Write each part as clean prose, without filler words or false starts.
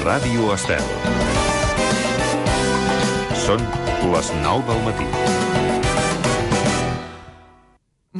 Ràdio Estel. Són les 9 del matí.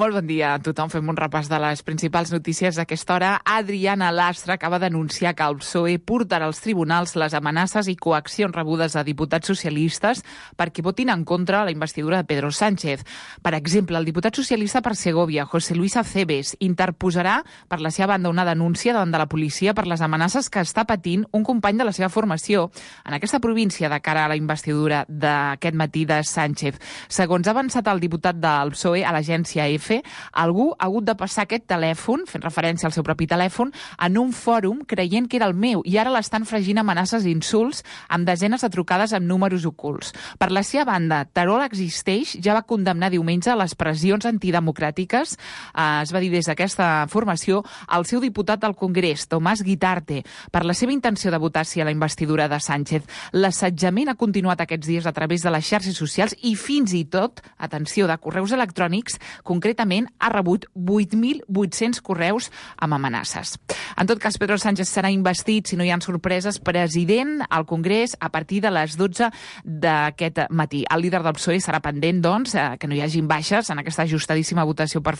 Molt bon dia a tothom. Fem un repàs de les principals notícies d'aquesta hora. Adriana Lastra acaba d'anunciar que el PSOE portarà als tribunals les amenaces i coaccions rebudes a diputats socialistes perquè votin en contra la investidura de Pedro Sánchez. Per exemple, el diputat socialista per Segovia, José Luis Acebes, interposarà per la seva banda una denúncia davant de la policia per les amenaces que està patint un company de la seva formació en aquesta província de cara a la investidura d'aquest matí de Sánchez. Segons ha avançat el diputat del PSOE a l'agència EFE, algú ha hagut de passar aquest telèfon, fent referència al seu propi telèfon, en un fòrum creient que era el meu i ara l'estan fregint amenaces i insults amb desenes de trucades amb números ocults. Per la seva banda, Terol Existeix ja va condemnar diumenge les pressions antidemocràtiques, es va dir des d'aquesta formació, al seu diputat al Congrés, Tomàs Guitarte, per la seva intenció de votar sí a la investidura de Sánchez. L'assetjament ha continuat aquests dies a través de les xarxes socials i fins i tot, atenció, de correus electrònics, concretament ha rebut 8.800 correus amb amenaces. En tot cas, Pedro Sánchez serà investit, si no hi ha sorpreses, president al Congrés a partir de les 12 d'aquest matí. El líder del PSOE serà pendent, doncs, que no hi hagin baixes en aquesta ajustadíssima votació per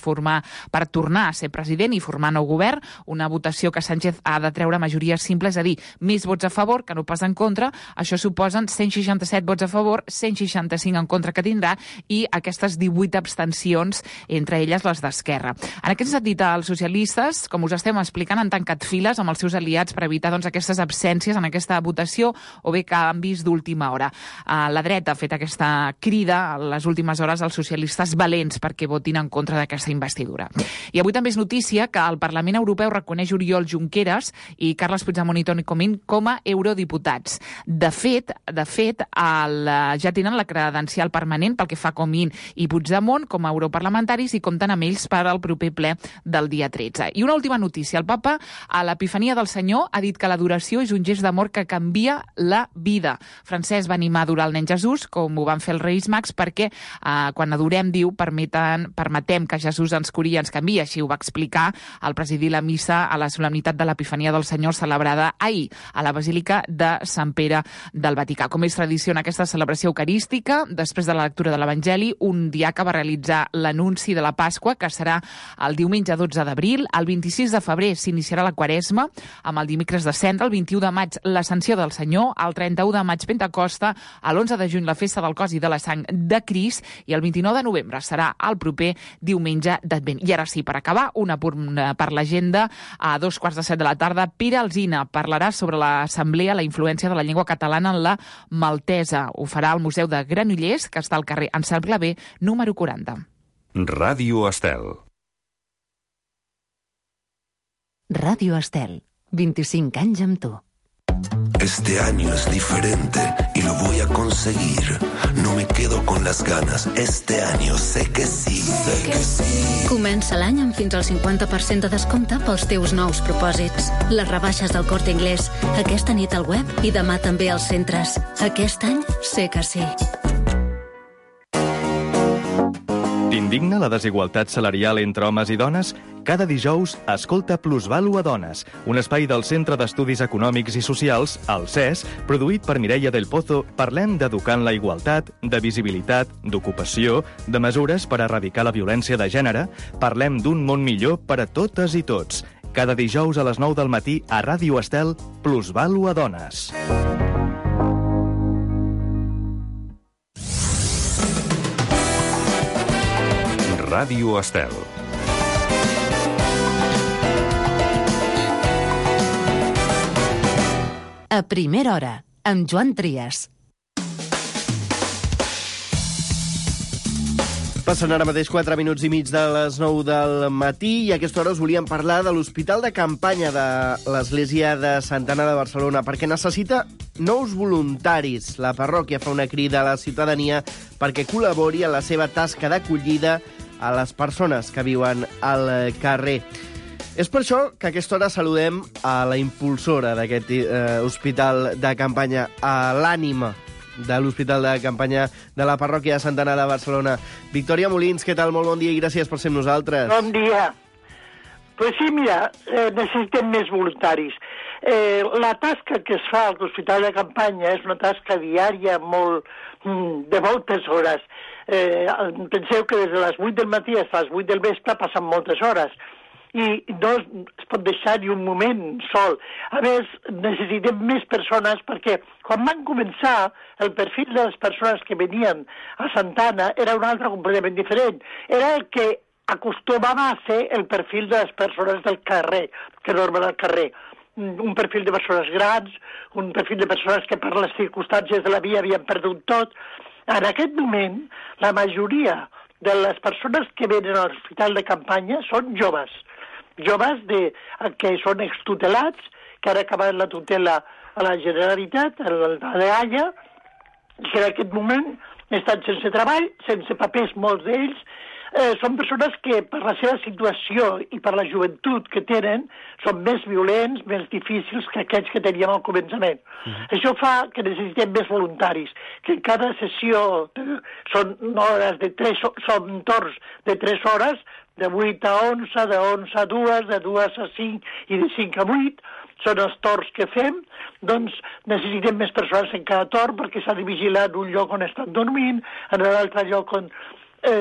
tornar a ser president i formar nou govern, una votació que Sánchez ha de treure majoria simple, és a dir, més vots a favor que no pas en contra. Això suposen 167 vots a favor, 165 en contra que tindrà i aquestes 18 abstencions, entre elles les d'Esquerra. En aquest sentit, els socialistes, com us estem explicant, han tancat files amb els seus aliats per evitar aquestes absències en aquesta votació o bé canvis d'última hora. La dreta ha fet aquesta crida a les últimes hores als socialistes valents perquè votin en contra d'aquesta investidura. I avui també és notícia que el Parlament Europeu reconeix Oriol Junqueras i Carles Puigdemont i Toni Comín com a eurodiputats. De fet, ja tenen la credencial permanent pel que fa a Comín i Puigdemont com a europarlamentaris i compten amb ells per al proper ple del dia 13. I una última notícia. El papa, a l'Epifania del Senyor, ha dit que l'adoració és un gest d'amor que canvia la vida. Francesc va animar a adorar el nen Jesús, com ho van fer els Reis Mags, perquè quan adorem, diu, permetem que Jesús ens curi i ens canvia. Així ho va explicar al presidir la missa a la solemnitat de l'Epifania del Senyor celebrada ahir a la Basílica de Sant Pere del Vaticà. Com és tradició en aquesta celebració eucarística, després de la lectura de l'Evangeli, un diaca va realitzar l'anunci de la Pasqua, que serà el diumenge 12 d'abril. El 26 de febrer s'iniciarà la Quaresma, amb el dimecres de Cendra, el 21 de maig l'Ascensió del Senyor, el 31 de maig Pentecosta, l'11 de juny la Festa del Cos i de la Sang de Crist i el 29 de novembre serà el proper diumenge d'Advent. I ara sí, per acabar, un apunt per l'agenda. A 2:15 de la tarda, Pere Alsina parlarà sobre l'Assemblea, la influència de la llengua catalana en la maltesa. Ho farà al Museu de Granollers, que està al carrer Anselm Clavé, número 40. Ràdio Estel. Radio Estel, 25 anys amb tu. Este año es diferente y lo voy a conseguir. No me quedo con las ganas. Este año sé que sí. Sé que sí. Comença l'any amb fins al 50% de descompte pels teus nous propòsits. Les rebaixes del Corte Inglés, aquesta nit al web i demà també als centres. Aquest any sé que sí. T'indigna la desigualtat salarial entre homes i dones? Cada dijous, escolta Plusvàlua Dones, un espai del Centre d'Estudis Econòmics i Socials, el CES, produït per Mireia del Pozo. Parlem d'educar en la igualtat, de visibilitat, d'ocupació, de mesures per erradicar la violència de gènere. Parlem d'un món millor per a totes i tots. Cada dijous a les 9 del matí a Ràdio Estel, Plusvàlua Dones. Ràdio Estel. A primera hora, amb Joan Trias. Passen ara mateix 4 minuts i mig de les 9 del matí i a aquesta hora us volíem parlar de l'Hospital de Campanya de l'Església de Santa Anna de Barcelona perquè necessita nous voluntaris. La parròquia fa una crida a la ciutadania perquè col·labori en la seva tasca d'acollida a les persones que viuen al carrer. És per això que a aquesta hora saludem a la impulsora d'aquest hospital de campanya, a l'ànima de l'Hospital de Campanya de la Parròquia de Santa Anna de Barcelona. Victòria Molins, què tal? Molt bon dia i gràcies per ser amb nosaltres. Bon dia. Pues sí, mira, necessitem més voluntaris. La tasca que es fa a l'Hospital de Campanya és una tasca diària de moltes hores. Penseu que des de les 8 del matí fins a les 8 del vespre passen moltes hores i no es pot deixar ni un moment sol. A més, necessitem més persones perquè quan van començar el perfil de les persones que venien a Santana era un altre completament diferent. Era el que acostumava a ser el perfil de les persones del carrer, que normen al carrer. Un perfil de persones grans, un perfil de persones que per les circumstàncies de la vida havien perdut tot. En aquest moment, la majoria de les persones que venen a l'Hospital de Campanya són joves que són extutelats, que han acabat la tutela a la Generalitat, a l'AIA, que en aquest moment estan sense treball, sense papers, molts d'ells. Són persones que, per la seva situació i per la joventut que tenen, són més violents, més difícils que aquells que teníem al començament. Això fa que necessitem més voluntaris, que en cada sessió són torns de 3 hores, de 8 a 11, de 11 a 2, de 2 a 5 i de 5 a 8, són els torns que fem, doncs necessitem més persones en cada torn perquè s'ha de vigilar en un lloc on estan dormint, en l'altre lloc on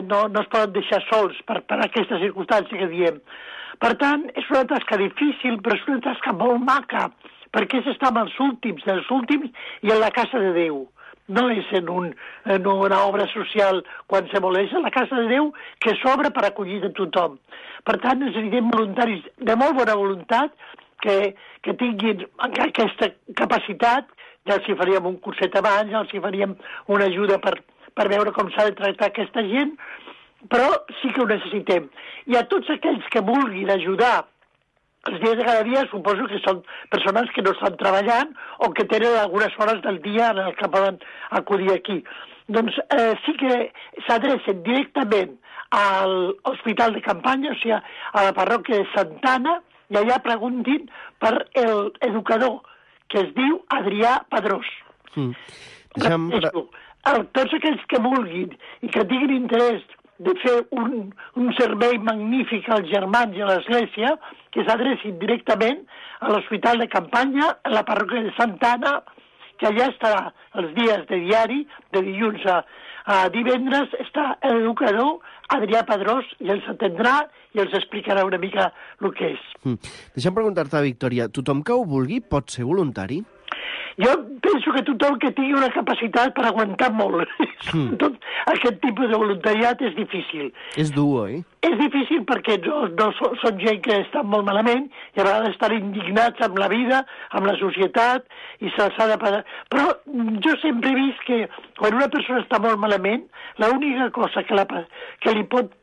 no es poden deixar sols per aquesta circumstància que diem. Per tant, és una tasca difícil, però és una tasca molt maca, perquè s'està amb els últims dels últims i en la casa de Déu. No és en una obra social qualsevol, és en la casa de Déu que s'obre per acollir a tothom. Per tant, necessitem voluntaris de molt bona voluntat que tinguin aquesta capacitat. Ja els hi faríem un curset abans, ja els hi faríem una ajuda per veure com s'ha de tractar aquesta gent, però sí que ho necessitem. I a tots aquells que vulguin ajudar els dies de cada dia, suposo que són persones que no estan treballant o que tenen algunes hores del dia en el que poden acudir aquí. Doncs sí que s'adrecen directament a l'Hospital de Campanya, o sigui, a la parròquia de Santana, i allà preguntin per l'educador, que es diu Adrià Padrós. Tots aquells que vulguin i que tinguin interès de fer un servei magnífic als germans i a l'Església, que s'adrecin directament a l'Hospital de Campanya, a la parròquia de Santana, que allà estarà els dies de diari, de dilluns a divendres, està l'educador Adrià Padrós i els atendrà i els explicarà una mica el que és. Deixa'm preguntar-te, Victòria, tothom que ho vulgui pot ser voluntari? Jo penso que tothom que tingui una capacitat per aguantar molt tot aquest tipus de voluntariat és difícil. És dur, oi? És difícil perquè no són gent que estan molt malament i a vegades estan indignats amb la vida, amb la societat, i se'ls ha de pagar. Però jo sempre he vist que quan una persona està molt malament, l'única cosa que li pot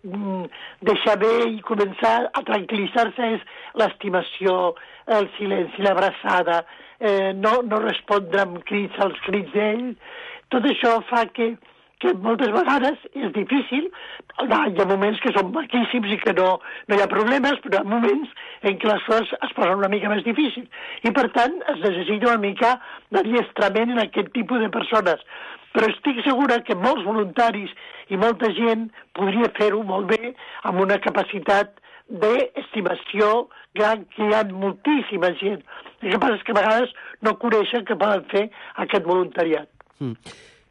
deixar bé i començar a tranquil·litzar-se és l'estimació, el silenci, l'abraçada, no respondre amb crits als crits d'ell. Tot això fa que moltes vegades és difícil. Hi ha moments que són maquíssims i que no hi ha problemes, però hi ha moments en què les coses es posen una mica més difícils. I, per tant, es necessita una mica d'adiestrament en aquest tipus de persones. Però estic segura que molts voluntaris i molta gent podria fer-ho molt bé amb una capacitat d'estimació gran, que hi ha moltíssima gent. El que passa és que a vegades no coneixen que poden fer aquest voluntariat.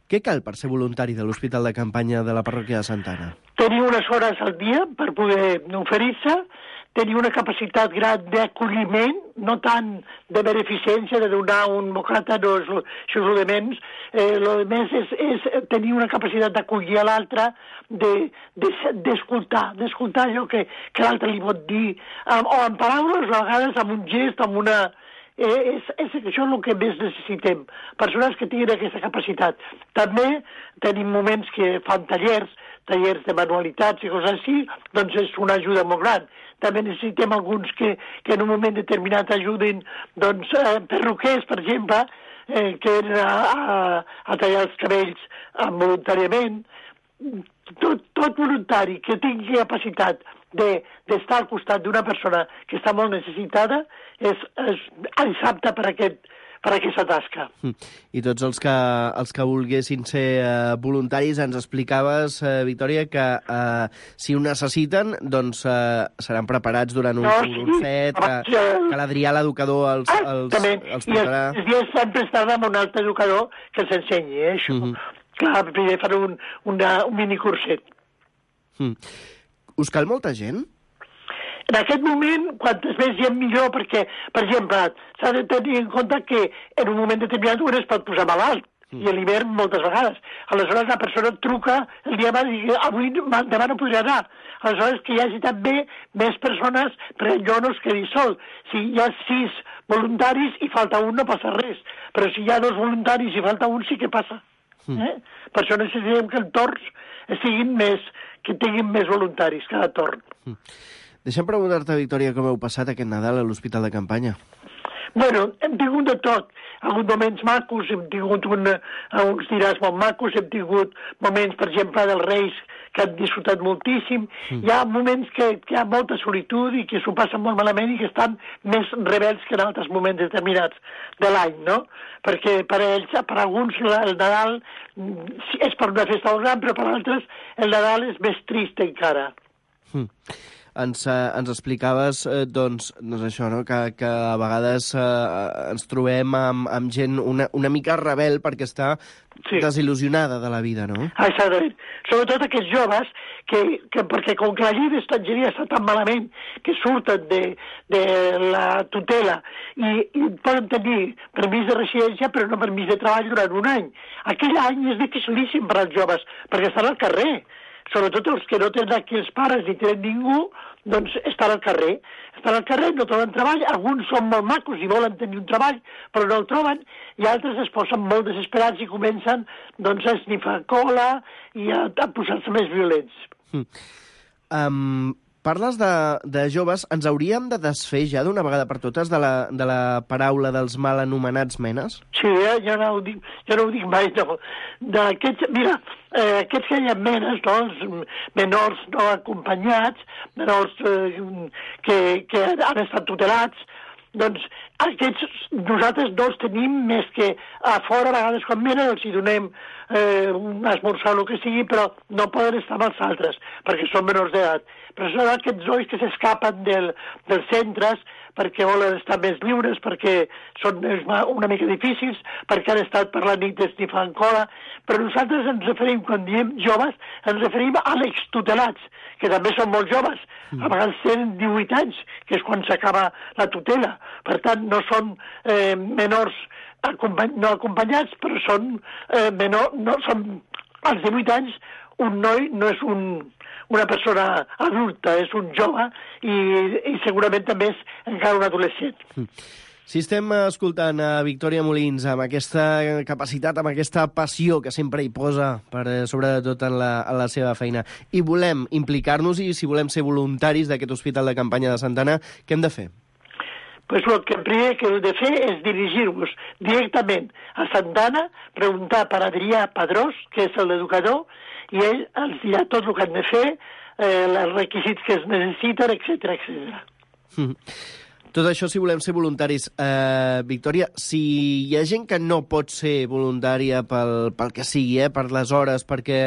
Què cal per ser voluntari de l'Hospital de Campanya de la parròquia de Santana? Tenir unes hores al dia per poder oferir-se, tenir una capacitat gran d'acolliment, no tant de beneficència, de donar un bocata, no és això és el de menys. El de més és tenir una capacitat d'acollir a l'altre, d'escoltar allò que l'altre li pot dir, o en paraules, o a vegades amb un gest, amb una... Això és el que més necessitem, persones que tinguin aquesta capacitat. També tenim moments que fan tallers de manualitats i coses així, doncs és una ajuda molt gran. També necessitem alguns que en un moment determinat ajudin, doncs, perruquers, per exemple, que venen a tallar els cabells voluntàriament. Tot voluntari que tingui capacitat d'estar al costat d'una persona que està molt necessitada és apte per aquest per aquesta tasca. I tots els que volguessin ser voluntaris, ens explicaves, Victòria, que si ho necessiten, doncs seran preparats durant un curset, que l'Adrià, l'educador, els portarà. I els dies sempre estaran amb un altre educador que els ensenyi, això. Clar, primer fan un minicurset. Us cal molta gent? En aquest moment, quantes més gent millor, perquè, per exemple, s'ha de tenir en compte que en un moment determinat un es pot posar malalt, i a l'hivern moltes vegades. Aleshores la persona truca el dia abans i diu, avui demà no podria anar. Aleshores que hi hagi també més persones, perquè jo no es quedi sol. Si hi ha 6 voluntaris i falta un no passa res, però si hi ha 2 voluntaris i falta un sí que passa. Per això necessitem que els torns que tinguin més voluntaris cada torn. Deixa'm preguntar-te, Victòria, com heu passat aquest Nadal a l'Hospital de Campanya? Bueno, hem tingut de tot. Alguns moments macos, hem tingut uns diràs molt macos, hem tingut moments, per exemple, dels Reis, que han disfrutat moltíssim. Hi ha moments que hi ha molta solitud i que s'ho passen molt malament i que estan més rebels que en altres moments determinats de l'any, no? Perquè per ells, per alguns, el Nadal és per una festa molt gran, però per altres el Nadal és més trist encara. Ens explicaves, doncs això, no? que a vegades ens trobem amb gent una mica rebel perquè està desil·lusionada de la vida, no? Exactament. Sobretot aquests joves perquè com que la llei d'estrangeria està tan malament que surten de la tutela i poden tenir permís de residència però no permís de treball durant un any. Aquell any és dificilíssim per als joves perquè estan al carrer. Sobretot els que no tenen aquí els pares ni tenen ningú, doncs estan al carrer. Estan al carrer, no troben treball, alguns són molt macos i volen tenir un treball, però no el troben, i altres es posen molt desesperats i comencen doncs, a esnifar cola i a posar-se més violents. Parles de joves, ens hauríem de desfer ja d'una vegada per totes de la paraula dels mal anomenats menes? Sí, jo no ho dic mai, no. Mira, aquests que hi ha menes, no, els menors no acompanyats, menors que han estat tutelats, doncs aquests nosaltres no els tenim més que a fora, a vegades quan venen els hi donem un esmorzar o el que sigui, però no poden estar amb els altres, perquè són menors d'edat. Però són aquests nois que s'escapen dels centres perquè volen estar més lliures, perquè són una mica difícils, perquè han estat per la nit esnifant cola, però nosaltres ens referim, quan diem joves, ens referim a l'extutelats, que també són molt joves, a vegades tenen 18 anys, que és quan s'acaba la tutela. Per tant, no són menors no acompanyats, però són són als 18 anys, un noi no és una persona adulta, és un jove i segurament també és encara un adolescent. Si estem escoltant a Victòria Molins amb aquesta capacitat, amb aquesta passió que sempre hi posa, sobretot en la seva feina, i volem implicar-nos i si volem ser voluntaris d'aquest Hospital de Campanya de Santa Anna, què hem de fer? Pues el primer que heu de fer és dirigir-vos directament a Santa Anna, preguntar per Adrià Padrós, que és l'educador, i ell els dirà tot el que han de fer, els requisits que es necessiten, etc. Tot això si volem ser voluntaris. Victòria, si hi ha gent que no pot ser voluntària pel que sigui, per les hores, perquè,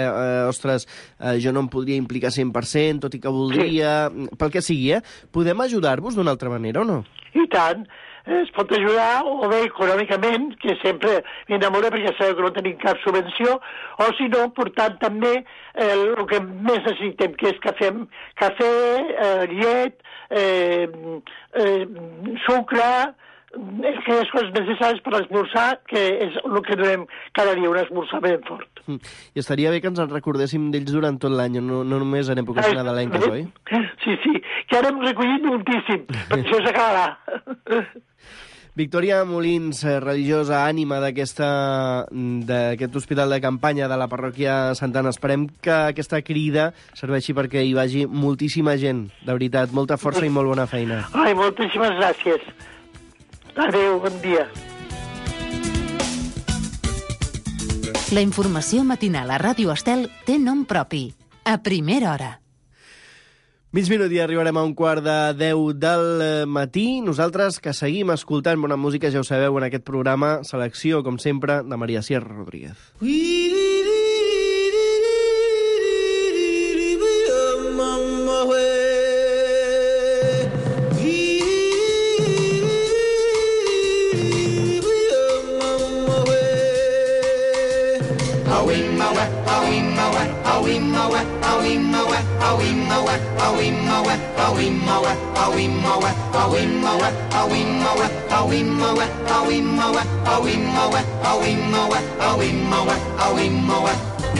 jo no em podria implicar 100%, tot i que voldria, pel que sigui, podem ajudar-vos d'una altra manera o no? I tant. Es pot ajudar o bé econòmicament, que sempre m'enamora perquè sabeu que no tenim cap subvenció, o si no, portant també el que més necessitem, que és cafè, llet, sucre, aquelles coses necessàries per esmorzar, que és el que donem cada dia, un esmorzar ben fort. I estaria bé que ens en recordéssim d'ells durant tot l'any, no només en èpoques nadalenques, oi? Sí, que ara hem recollit moltíssim, perquè això s'acabarà. Victòria Molins, religiosa, ànima d'aquest hospital de campanya de la parròquia Santa Anna. Esperem que aquesta crida serveixi perquè hi vagi moltíssima gent, de veritat. Molta força i molt bona feina. Ai, moltíssimes gràcies. Adéu, bon dia. La informació matinal a Ràdio Estel té nom propi. A primera hora. Mig minut i arribarem a 9:45 del matí. Nosaltres que seguim escoltant bona música, ja ho sabeu, en aquest programa, selecció, com sempre, de Maria Sierra Rodríguez.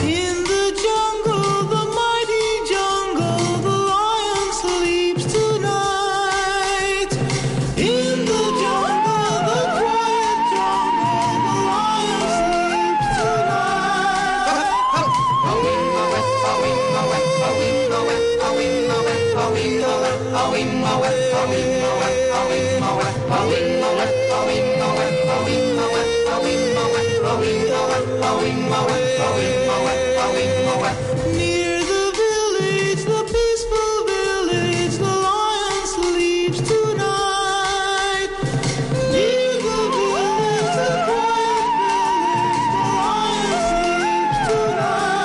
In the jungle, the mighty jungle, the lion sleeps tonight. In the jungle, the quiet jungle, the lion sleeps Near the village, the peaceful village, the lion sleeps tonight. Near the village, the quiet village, the lion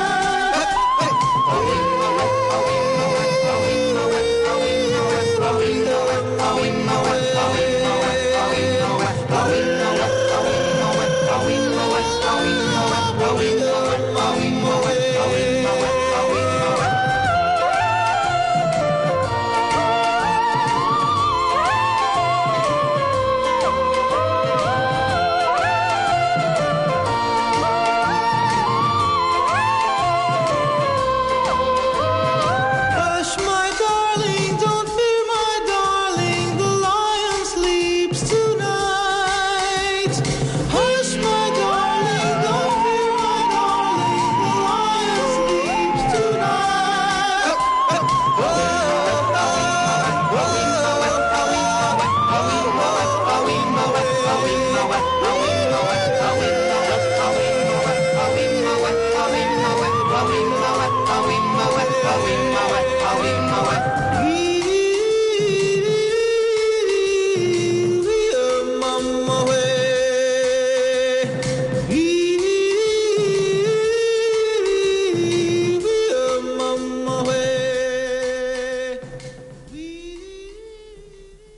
Hush, my darling, don't fear, my darling, the lion sleeps tonight. Hush, my darling, don't fear, my darling, the lion sleeps tonight.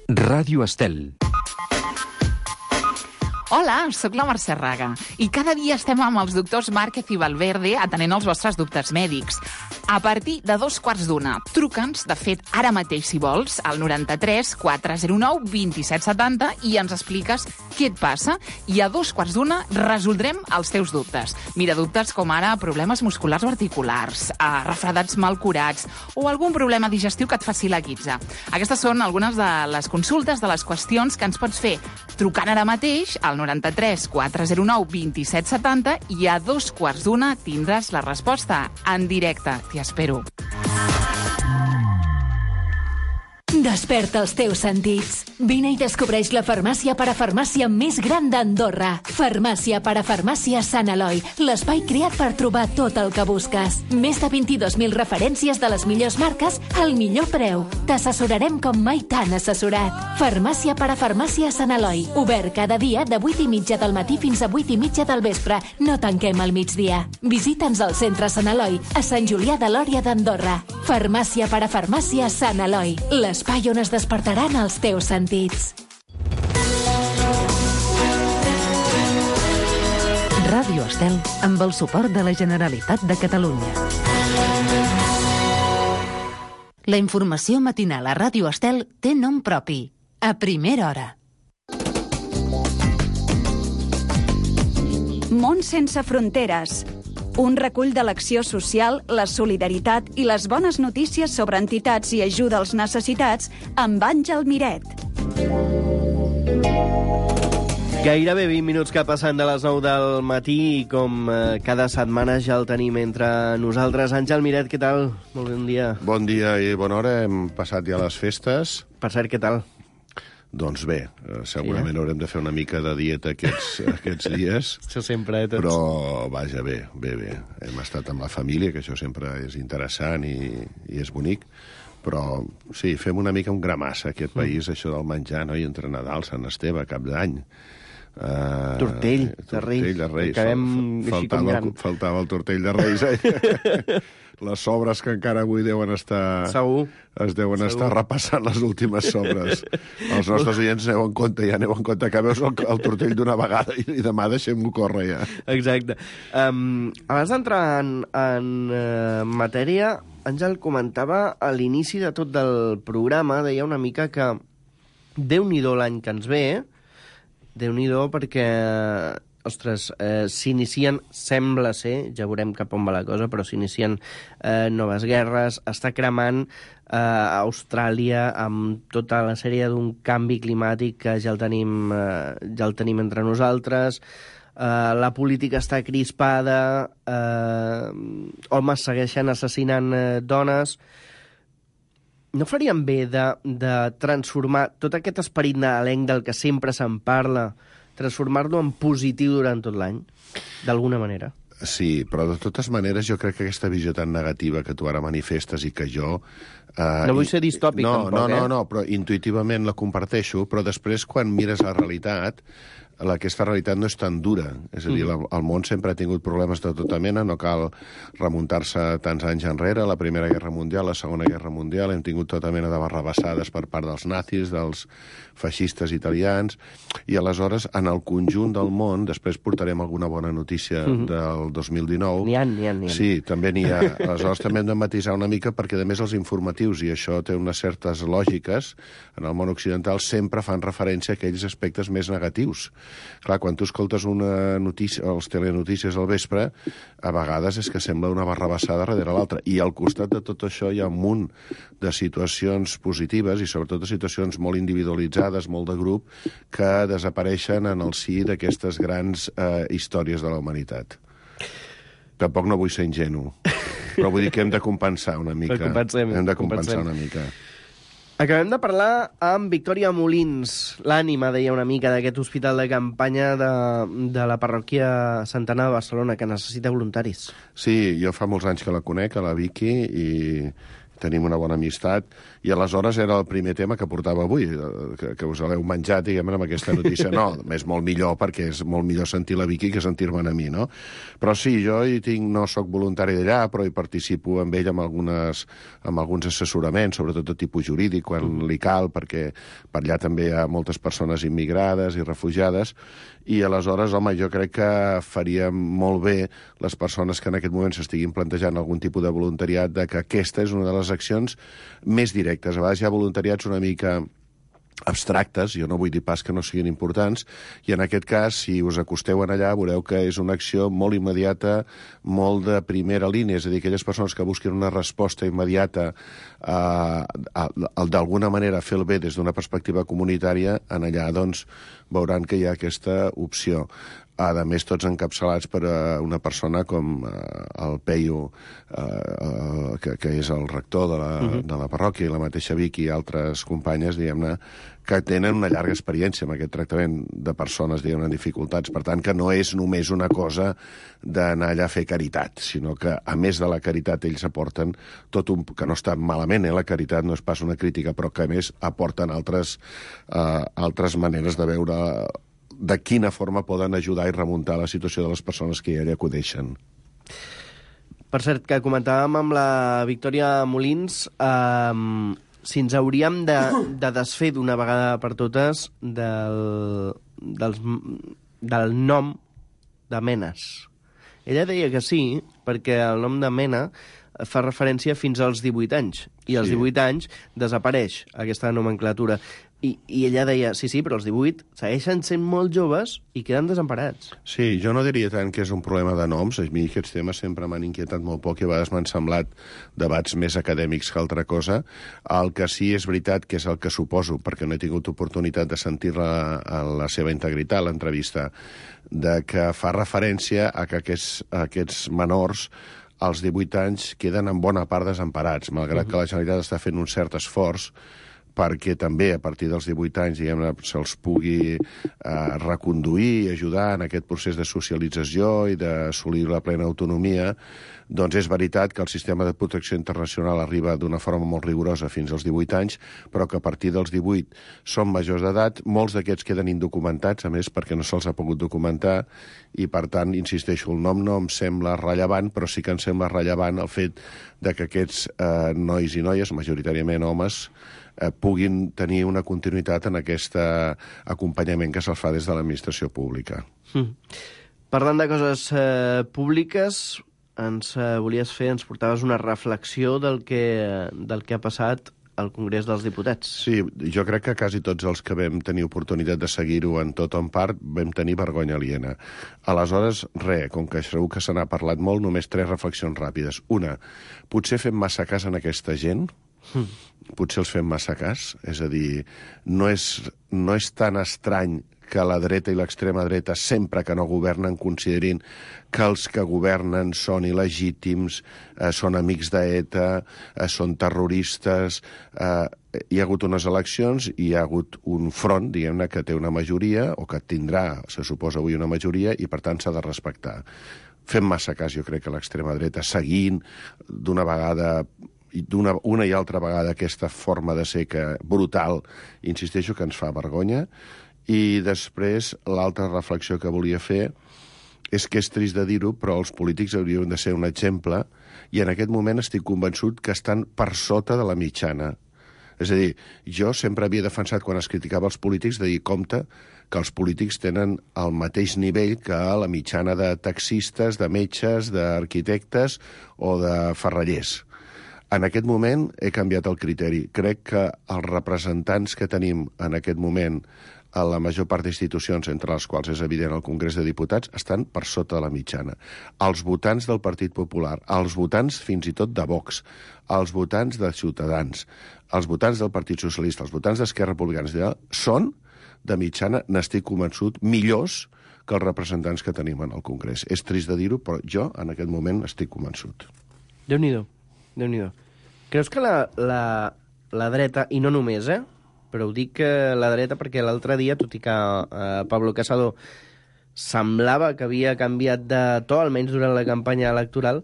Ràdio Estel. Hola, sóc la Mercè Raga i cada dia estem amb els doctors Márquez i Valverde atenent els vostres dubtes mèdics. A partir de 2:15, truca'ns, de fet, ara mateix, si vols, al 93 409 2770 i ens expliques què et passa i a 2:15 resoldrem els teus dubtes. Mira, dubtes com ara problemes musculars o articulars, refredats mal curats o algun problema digestiu que et faci la guitza. Aquestes són algunes de les consultes, de les qüestions que ens pots fer trucant ara mateix al 93 409 2770 i a 2:15 tindràs la resposta en directe. T'hi espero. Desperta els teus sentits. Vine i descobreix la farmàcia parafarmàcia més gran d'Andorra. Farmàcia parafarmàcia Sant Eloi, l'espai creat per trobar tot el que busques. Més de 22.000 referències de les millors marques al millor preu. T'assessorarem com mai t'han assessorat. Farmàcia parafarmàcia Sant Eloi, obert cada dia de 8:30 del matí fins a 8:30 del vespre. No tanquem al migdia. Visita'ns al centre Sant Eloi, a Sant Julià de Lòria d'Andorra. Farmàcia parafarmàcia Sant Eloi, l'espai on es despertaran els teus sentits. Ràdio Estel, amb el suport de la Generalitat de Catalunya. La informació matinal a Ràdio Estel té nom propi. A primera hora. Món sense fronteres. Un recull de l'acció social, la solidaritat i les bones notícies sobre entitats i ajuda als necessitats amb Àngel Miret. Gairebé 20 minuts que passen de les 9 del matí i com cada setmana ja el tenim entre nosaltres. Àngel Miret, què tal? Molt bon dia. Bon dia i bona hora. Hem passat ja les festes. Per cert, què tal? Doncs bé, segurament haurem de fer una mica de dieta aquests dies. Això sempre, tots. Però, vaja, bé. Hem estat amb la família, que això sempre és interessant i és bonic, Però, sí, fem una mica un gramassa, aquest país, això del menjar, no? I entre Nadal, Sant Esteve, Cap d'Any... Tortell de Reis. Acabem així com gran. Faltava el tortell de Reis. Les sobres que encara avui deuen estar... Segur. Es deuen estar repassant les últimes sobres. Els nostres oients aneu en compte, que veus el tortell d'una vegada i demà deixem-ho córrer ja. Exacte. Abans d'entrar en matèria, Àngel comentava a l'inici de tot del programa, deia una mica que Déu-n'hi-do l'any que ens ve, Déu-n'hi-do perquè, ostres, s'inicien, sembla ser, ja veurem cap on va la cosa, però s'inicien noves guerres, està cremant Austràlia amb tota la sèrie d'un canvi climàtic que ja el tenim entre nosaltres, la política està crispada, homes segueixen assassinant dones... No faríem bé de transformar tot aquest esperit nadalenc del que sempre se'n parla, transformar-lo en positiu durant tot l'any, d'alguna manera? Sí, però de totes maneres jo crec que aquesta visió tan negativa que tu ara manifestes i que jo... no vull ser distòpic, tampoc, No, però intuïtivament la comparteixo, però després quan mires la realitat, aquesta realitat no és tan dura. És a dir, el món sempre ha tingut problemes de tota mena, no cal remuntar-se tants anys enrere, la Primera Guerra Mundial, la Segona Guerra Mundial, hem tingut tota mena de barrabassades per part dels nazis, dels feixistes italians, i aleshores, en el conjunt del món, després portarem alguna bona notícia del 2019. N'hi ha. Sí, també n'hi ha. Aleshores també hem de matisar una mica, perquè a més els informatius, i això té unes certes lògiques, en el món occidental sempre fan referència a aquells aspectes més negatius. Clar, quan tu escoltes una notícia, els telenotícies al vespre, a vegades és que sembla una barrabassada darrere l'altra. I al costat de tot això hi ha un munt de situacions positives i sobretot de situacions molt individualitzades, molt de grup, que desapareixen en el si d'aquestes grans històries de la humanitat. Tampoc no vull ser ingenu, però vull dir que hem de compensar una mica. Hem de compensar una mica. Acabem de parlar amb Victòria Molins, l'ànima, deia una mica, d'aquest hospital de campanya de la parròquia Santana de Barcelona, que necessita voluntaris. Sí, jo fa molts anys que la conec, a la Vicky, i tenim una bona amistat, i aleshores era el primer tema que portava avui, que us l'heu menjat, diguem, amb aquesta notícia. No, és molt millor, perquè és molt millor sentir la Vicky que sentir-me'n a mi, no? Però sí, jo no sóc voluntari d'allà, però hi participo amb ell amb alguns assessoraments, sobretot de tipus jurídic, quan li cal, perquè per allà també hi ha moltes persones immigrades i refugiades, i aleshores, home, jo crec que faria molt bé les persones que en aquest moment s'estiguin plantejant algun tipus de voluntariat, de que aquesta és una de les accions més directes. A vegades hi ha voluntariats una mica abstractes, jo no vull dir pas que no siguin importants, i en aquest cas, si us acosteu en allà, veureu que és una acció molt immediata, molt de primera línia, és a dir, aquelles persones que busquen una resposta immediata d'alguna manera fer el bé des d'una perspectiva comunitària, en allà, doncs, veuran que hi ha aquesta opció. A més, tots encapçalats per una persona com el Peyu, que és el rector de la parròquia, i la mateixa Vicky i altres companyes, diguem-ne, que tenen una llarga experiència amb aquest tractament de persones, diguem-ne, en dificultats. Per tant, que no és només una cosa d'anar allà a fer caritat, sinó que, a més de la caritat, ells aporten tot un... que no està malament, la caritat no és pas una crítica, però que, a més, aporten altres maneres de veure de quina forma poden ajudar i remuntar la situació de les persones que hi acudeixen. Per cert, que comentàvem amb la Victòria Molins, si ens hauríem de desfer d'una vegada per totes del nom de Menes. Ella deia que sí, perquè el nom de Mena fa referència fins als 18 anys, i als 18 anys desapareix aquesta nomenclatura. I ella deia, sí, però els 18 segueixen sent molt joves i queden desemparats. Sí, jo no diria tant que és un problema de noms. A mi aquests temes sempre m'han inquietat molt poc i a vegades m'han semblat debats més acadèmics que altra cosa. El que sí és veritat, que és el que suposo, perquè no he tingut oportunitat de sentir-la a la seva integritat, l'entrevista, de que fa referència a que aquests menors als 18 anys queden en bona part desemparats, malgrat que la Generalitat està fent un cert esforç perquè també a partir dels 18 anys diguem-ne se'ls pugui reconduir i ajudar en aquest procés de socialització i d'assolir la plena autonomia, doncs és veritat que el sistema de protecció internacional arriba d'una forma molt rigorosa fins als 18 anys, però que a partir dels 18 són majors d'edat, molts d'aquests queden indocumentats, a més perquè no se'ls ha pogut documentar, i per tant, insisteixo, el nom no em sembla rellevant, però sí que em sembla rellevant el fet de que aquests nois i noies, majoritàriament homes, puguin tenir una continuïtat en aquest acompanyament que se'ls fa des de l'administració pública. Parlant de coses públiques, ens portaves una reflexió del que ha passat al Congrés dels Diputats. Sí, jo crec que quasi tots els que vam tenir oportunitat de seguir-ho en tot o en part vam tenir vergonya aliena. Aleshores, com que segur que se n'ha parlat molt, només 3 reflexions ràpides. Una, potser fem massa cas en aquesta gent? Potser els fem massa cas? És a dir, no és tan estrany que la dreta i l'extrema dreta, sempre que no governen, considerin que els que governen són il·legítims, són amics d'ETA, són terroristes. Hi ha hagut unes eleccions i hi ha hagut un front, diguem-ne, que té una majoria, o que tindrà, se suposa avui, una majoria, i per tant s'ha de respectar. Fem massa cas, jo crec, que l'extrema dreta, seguint d'una vegada una i altra vegada aquesta forma de ser brutal, insisteixo, que ens fa vergonya. I després, l'altra reflexió que volia fer és que és trist de dir-ho, però els polítics haurien de ser un exemple, i en aquest moment estic convençut que estan per sota de la mitjana. És a dir, jo sempre havia defensat, quan es criticava els polítics, de dir, compte, que els polítics tenen el mateix nivell que la mitjana de taxistes, de metges, d'arquitectes o de ferrallers. En aquest moment he canviat el criteri. Crec que els representants que tenim en aquest moment a la major part d'institucions, entre les quals és evident el Congrés de Diputats, estan per sota de la mitjana. Els votants del Partit Popular, els votants fins i tot de Vox, els votants de Ciutadans, els votants del Partit Socialista, els votants d'Esquerra Republicana, són, de mitjana, n'estic convençut, millors que els representants que tenim en el Congrés. És trist de dir-ho, però jo, en aquest moment, estic convençut. Déu-n'hi-do. Creus que la dreta, i no només, però ho dic la dreta perquè l'altre dia, tot i que Pablo Casado semblava que havia canviat de to, almenys durant la campanya electoral,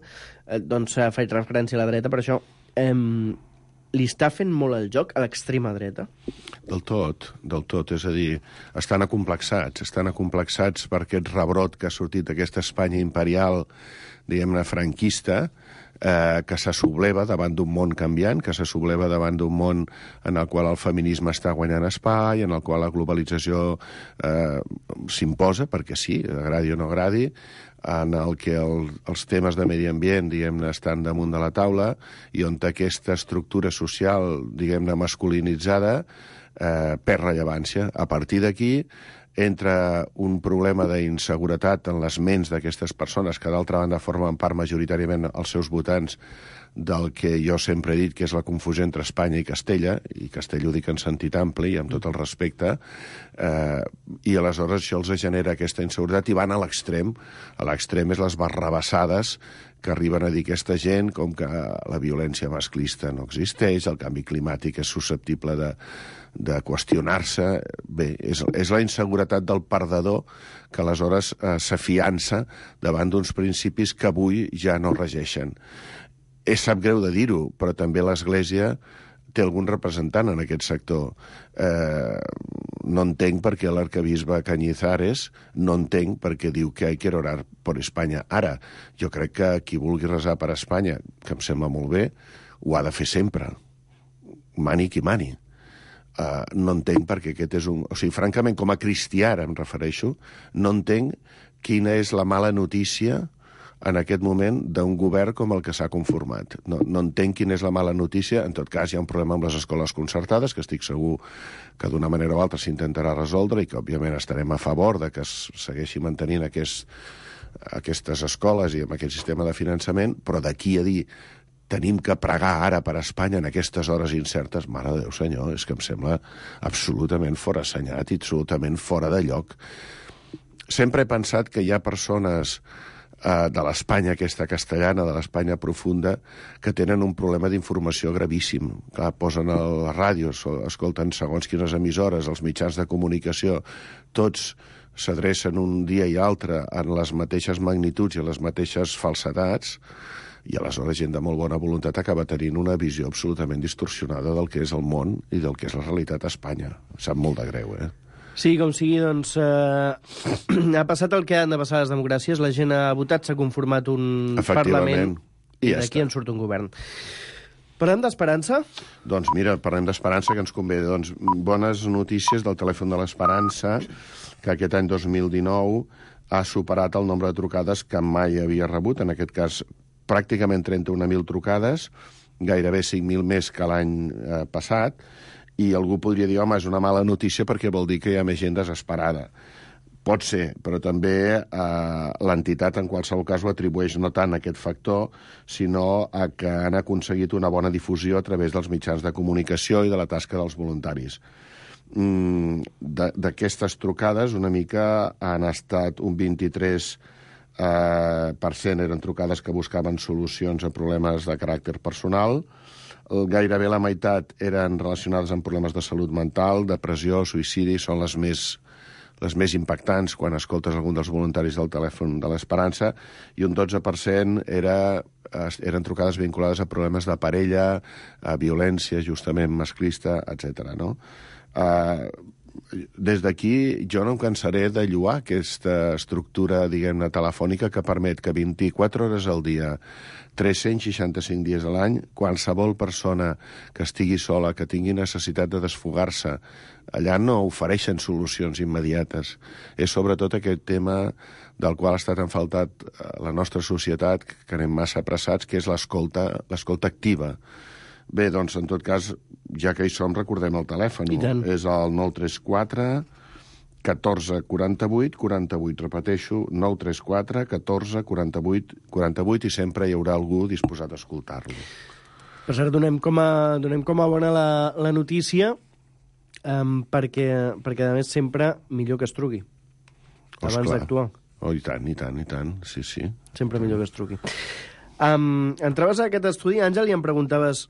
doncs faig referència a la dreta, per això li està fent molt el joc a l'extrema dreta? Del tot. És a dir, estan acomplexats per aquest rebrot que ha sortit d'aquesta Espanya imperial, diguem-ne, franquista, que se subleva davant d'un món canviant, que se subleva davant d'un món en el qual el feminisme està guanyant espai, en el qual la globalització s'imposa, perquè sí, agradi o no agradi, en el que els temes de medi ambient, diguem-ne, estan damunt de la taula, i on aquesta estructura social, diguem-ne, masculinitzada, perd rellevància. A partir d'aquí, entra un problema d'inseguretat en les ments d'aquestes persones que, d'altra banda, formen part majoritàriament els seus votants del que jo sempre he dit que és la confusió entre Espanya i Castella, i Castella ho dic en sentit ampli i amb tot el respecte, i aleshores això els genera aquesta inseguretat i van a l'extrem. A l'extrem és les barrabassades que arriben a dir aquesta gent, com que la violència masclista no existeix, el canvi climàtic és susceptible de qüestionar-se. Bé, és la inseguretat del perdedor que aleshores s'afiança davant d'uns principis que avui ja no regeixen. Sap greu de dir-ho, però també l'Església té algun representant en aquest sector. No entenc per què l'arcabisbe Cañizares, no entenc per què diu que hay que orar por Espanya. Ara, jo crec que qui vulgui resar per Espanya, que em sembla molt bé, ho ha de fer sempre. Mani qui mani. No entenc perquè aquest és un... O sigui, francament, com a cristià, ara em refereixo, no entenc quina és la mala notícia en aquest moment d'un govern com el que s'ha conformat. No entenc quina és la mala notícia. En tot cas, hi ha un problema amb les escoles concertades, que estic segur que d'una manera o altra s'intentarà resoldre i que, òbviament, estarem a favor de que es segueixi mantenint aquestes escoles i amb aquest sistema de finançament, però d'aquí a dir tenim que pregar ara per Espanya en aquestes hores incertes, mare de Déu senyor, és que em sembla absolutament forassenyat i absolutament fora de lloc. Sempre he pensat que hi ha persones de l'Espanya aquesta castellana, de l'Espanya profunda, que tenen un problema d'informació gravíssim. Clar, posen a les ràdios, escolten segons quines emissores, els mitjans de comunicació, tots s'adrecen un dia i altre en les mateixes magnituds i les mateixes falsedats, i aleshores gent de molt bona voluntat acaba tenint una visió absolutament distorsionada del que és el món i del que és la realitat a Espanya. Sap molt de greu, Sí, com sigui, doncs, ha passat el que han de passar les democràcies, la gent ha votat, s'ha conformat un Parlament, i d'aquí en surt un govern. Parlem d'esperança? Doncs mira, parlem d'esperança, que ens convé. Doncs bones notícies del telèfon de l'Esperança, que aquest any 2019 ha superat el nombre de trucades que mai havia rebut, en aquest cas pràcticament 31.000 trucades, gairebé 5.000 més que l'any passat, i algú podria dir, home, és una mala notícia perquè vol dir que hi ha més gent desesperada. Pot ser, però també l'entitat en qualsevol cas ho atribueix no tant a aquest factor, sinó a que han aconseguit una bona difusió a través dels mitjans de comunicació i de la tasca dels voluntaris. D'aquestes trucades, una mica han estat un 23% eren trucades que buscaven solucions a problemes de caràcter personal, gairebé la meitat eren relacionades amb problemes de salut mental, depressió, suïcidi, són les més impactants quan escoltes algun dels voluntaris del telèfon de l'Esperança, i un 12% eren trucades vinculades a problemes de parella, a violència justament masclista, etc. No? Des d'aquí jo no em cansaré de lloar aquesta estructura, diguem-ne, telefònica que permet que 24 hores al dia, 365 dies a l'any, qualsevol persona que estigui sola, que tingui necessitat de desfogar-se, allà no ofereixen solucions immediates. És sobretot aquest tema del qual ha estat enfaltat la nostra societat, que anem massa apressats, que és l'escolta activa. Bé, doncs, en tot cas, ja que hi som, recordem el telèfon. És el 934 14 48 48. Repeteixo, 934 14 48 48, i sempre hi haurà algú disposat a escoltar-lo. Per cert, donem com a bona la notícia, perquè a més sempre millor que es truqui, abans d'actuar. Oh, i tant, sí. Sempre millor que es truqui. Entraves a aquest estudi, Àngel, i em preguntaves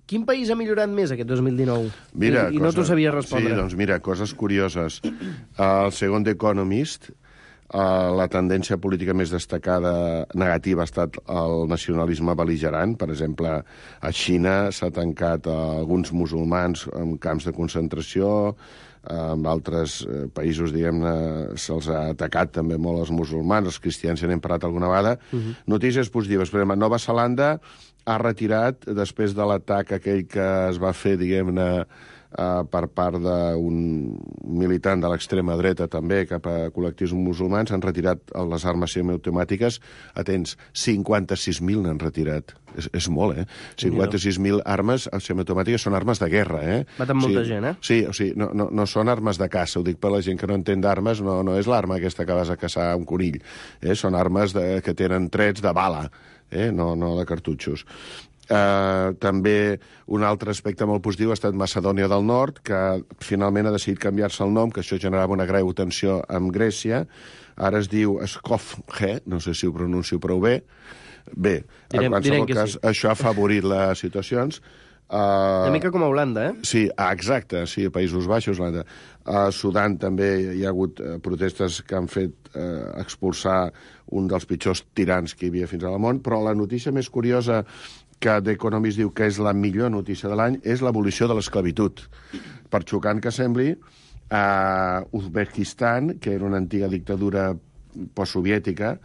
quin país ha millorat més aquest 2019? Mira, I no t'ho sabies respondre. Sí, doncs mira, coses curioses. El segon Economist, la tendència política més destacada negativa ha estat el nacionalisme bel·ligerant. Per exemple, a Xina s'ha tancat alguns musulmans en camps de concentració, en altres països, diguem-ne, se'ls ha atacat també molt els musulmans, els cristians, ja n'hem parlat alguna vegada. Notícies positives. Per exemple, Nova Zelanda ha retirat, després de l'atac aquell que es va fer, diguem-ne, per part d'un militant de l'extrema dreta també cap a col·lectius musulmans, han retirat les armes semiautomàtiques. Atents, 56.000 n'han retirat. És molt, 56.000 armes semiautomàtiques són armes de guerra, Maten molta gent, Sí, o sigui, no són armes de caça. Ho dic per la gent que no entén d'armes, no és l'arma aquesta que vas a caçar un conill. Són armes que tenen trets de bala, no de cartutxos. També un altre aspecte molt positiu ha estat Macedònia del Nord, que finalment ha decidit canviar-se el nom, que això generava una greu tensió amb Grècia. Ara es diu Skopje, no sé si ho pronuncio prou bé. Bé, en qualsevol cas, això ha afavorit les situacions. Una mica com a Holanda, Sí, exacte, sí, a Països Baixos, Holanda. A Sudan també hi ha hagut protestes que han fet expulsar un dels pitjors tirans que hi havia fins al món, però la notícia més curiosa que The Economist diu que és la millor notícia de l'any és l'abolició de l'esclavitud. Per xocant que sembli, a Uzbekistan, que era una antiga dictadura postsoviètica,